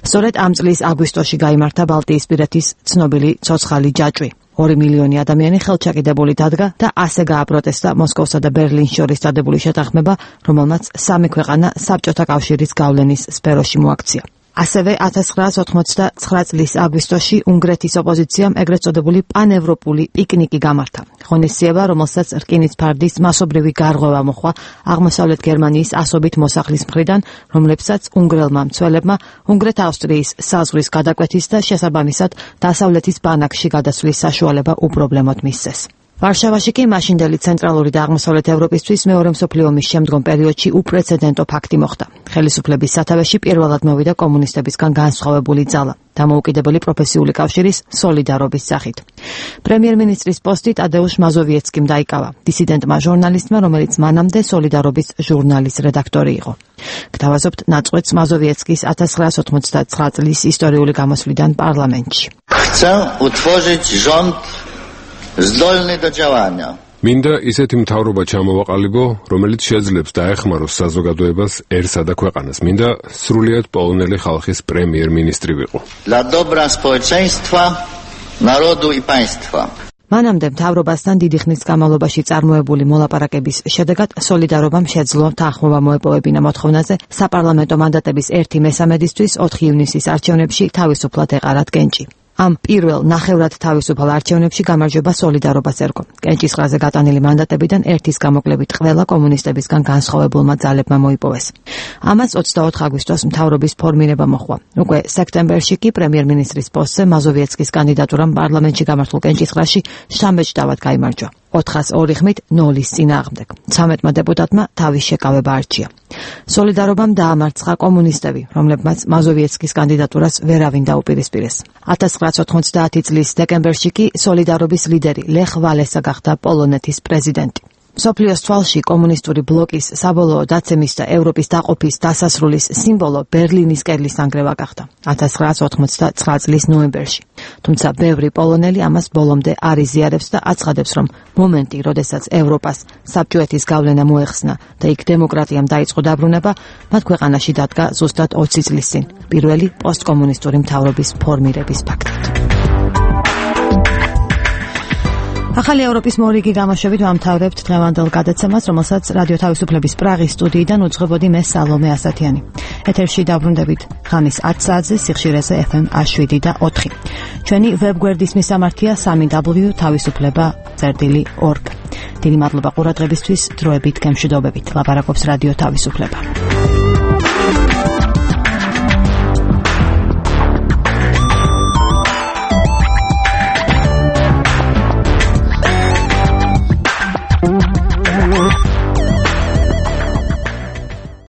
სწორედ ამ წლის აგვისტოში გაიმართა ბალტიისპირეთის ცნობილი ცოცხალი ჯაჭვი. ორი მილიონი ადამიანი ხელჩაკიდებული დადგა და ასე გააპროტესტა მოსკოვსა და ბერლინს შორის დადებული შეთანხმება, რომელმაც სამი ქვეყანა საბჭოთა კავშირის გავლენის სფეროში მოაქცია. ასევე ათას ცხრაას ოთხმოცდაცხრა წლის აგვისტოში უნგრეთის ოპოზიციამ ეგრეთ წოდებული პანევროპული პიკნიკი გამართა. ღონისძიება, რომელსაც რკინის ფარდის მასობრივი გარღვევა მოჰყვა აღმოსავლეთ გერმანიის ასობით მოსახლის მხრიდან, რომლებსაც უნგრელმა მცველებმა უნგრეთ-ავსტრიის საზღვრის გადაკვეთის და შესაბამისად დასავლეთის ბანაკში გადასვლის საშუალება უპრობლემოდ მისცეს. ვარშავაში კი მაშინდელი ცენტრალური და აღმოსავლეთ ევროპისთვის მეორე მსოფლიო ომის შემდგომ პერიოდში უპრეცედენტო ფაქტი მოხდა. ხელისუფლების სათავეში პირველად მოვიდა კომუნისტებისგან განსხვავებული ძალა, დამოუკიდებელი პროფესიული კავშირის სოლიდარობის სახით. პრემიერ-მინისტრის პოსტი ტადეუშ მაზოვიეცკიმ დაიკავა, დისიდენტმა ჟურნალისტმა, რომელიც მანამდე სოლიდარობის ჟურნალის რედაქტორი იყო. გთავაზობთ ნაწყვეტს მაზოვიეცკის ათას ცხრაასი ოთხმოცდათცხრა წლის ისტორიული გამოსვლიდან პარლამენტში. Chcę utworzyć rząd zdolny do działania. მინდა ისეთი მთავრობა ჩამოვაყალიბო, რომელიც შეძლებს დაეხმაროს საზოგადოებას, ერსა და ქვეყანას. მინდა სრულიად პოლონელი ხალხის პრემიერ-მინისტრი ვიყო. Dla dobra społeczeństwa, narodu i państwa. მანამდე მთავრობასთან დიდი ხნის განმავლობაში წარმოებული მოლაპარაკების შედეგად სოლიდარობამ შეძლო თანხმობა მოეპოვებინა მოთხოვნაზე საპარლამენტო მანდატების ერთი მესამედისთვის ოთხი ივნისის არჩევნებში თავისუფლად ეყარათ კენჭი. ამ პირველ ნახევრად თავისუფალ არჩევნებში გამარჯვება სოლიდარობას ერგო. კენჭისყრაზე გატანილი მანდატებიდან ერთის გამოკლებით ყველა კომუნისტებისგან განსხვავებულმა ძალებმა მოიპოვეს. ამას ოცდაოთხ აგვისტოს მთავრობის ფორმირება მოჰყვა. უკვე სექტემბერში კი პრემიერ-მინისტრის პოსტზე მაზოვიეცკის კანდიდატურამ პარლამენტში გამართულ კენჭისყრაში შთამბეჭდავად გაიმარჯვა. ოთხას ორი ხმით ნოლის წინააღმდეგ. ცამეტმა დეპუტატმა თავის შეკავება არჩია. სოლიდარობამ დაამარცხა კომუნისტები, რომლებმაც მაზოვიეცკის კანდიდატურას ვერავინ დაუპირისპირეს. ათას ცხრაასი ოთხმოცდაათი წლის დეკემბერში კი სოლიდარობის ლიდერი ლეხ ვალესა გახდა პოლონეთის პრეზიდენტი. მსოფლიოს თვალში კომუნისტური ბლოკის საბოლოო დაცემის და ევროპის დაყოფის დასასრულის სიმბოლო ბერლინის კედლის ნანგრევა გახდა ათას ცხრაასი ოთხმოცდათცხრა წლის ნოემბერში. თუმცა ბევრი პოლონელი ამას ბოლომდე არ იზიარებს და აცხადებს, რომ მომენტი, როდესაც ევროპას საბჭოეთის გავლენა მოეხსნა და იქ დემოკრატიამ დაიწყო დაბრუნება, მათ ქვეყანაში დადგა ზუსტად ოცი წლის წინ, პირველი პოსტკომუნისტური მთავრობის ფორმირების ფაქტით. ახალი ევროპის მორიგი გამოშვებით ვამთავრებთ დღევანდელ გადაცემას, რომელსაც რადიო თავისუფლების პრაღის სტუდიიდან უძღვებოდი მე სალომე ასათიანი. ეთერში დაბრუნდებით ხანის ათ საათზე სიხშირეზე ეფ ემ შვიდი და ოთხი. ჩვენი ვებგვერდის მისამართია სამი დაბლიუ თავისუფლება წერტილი ორგ. დიდი მადლობა ყურადღებისთვის, დროებით გემშვიდობებით. ლაპარაკობს რადიო თავისუფლება.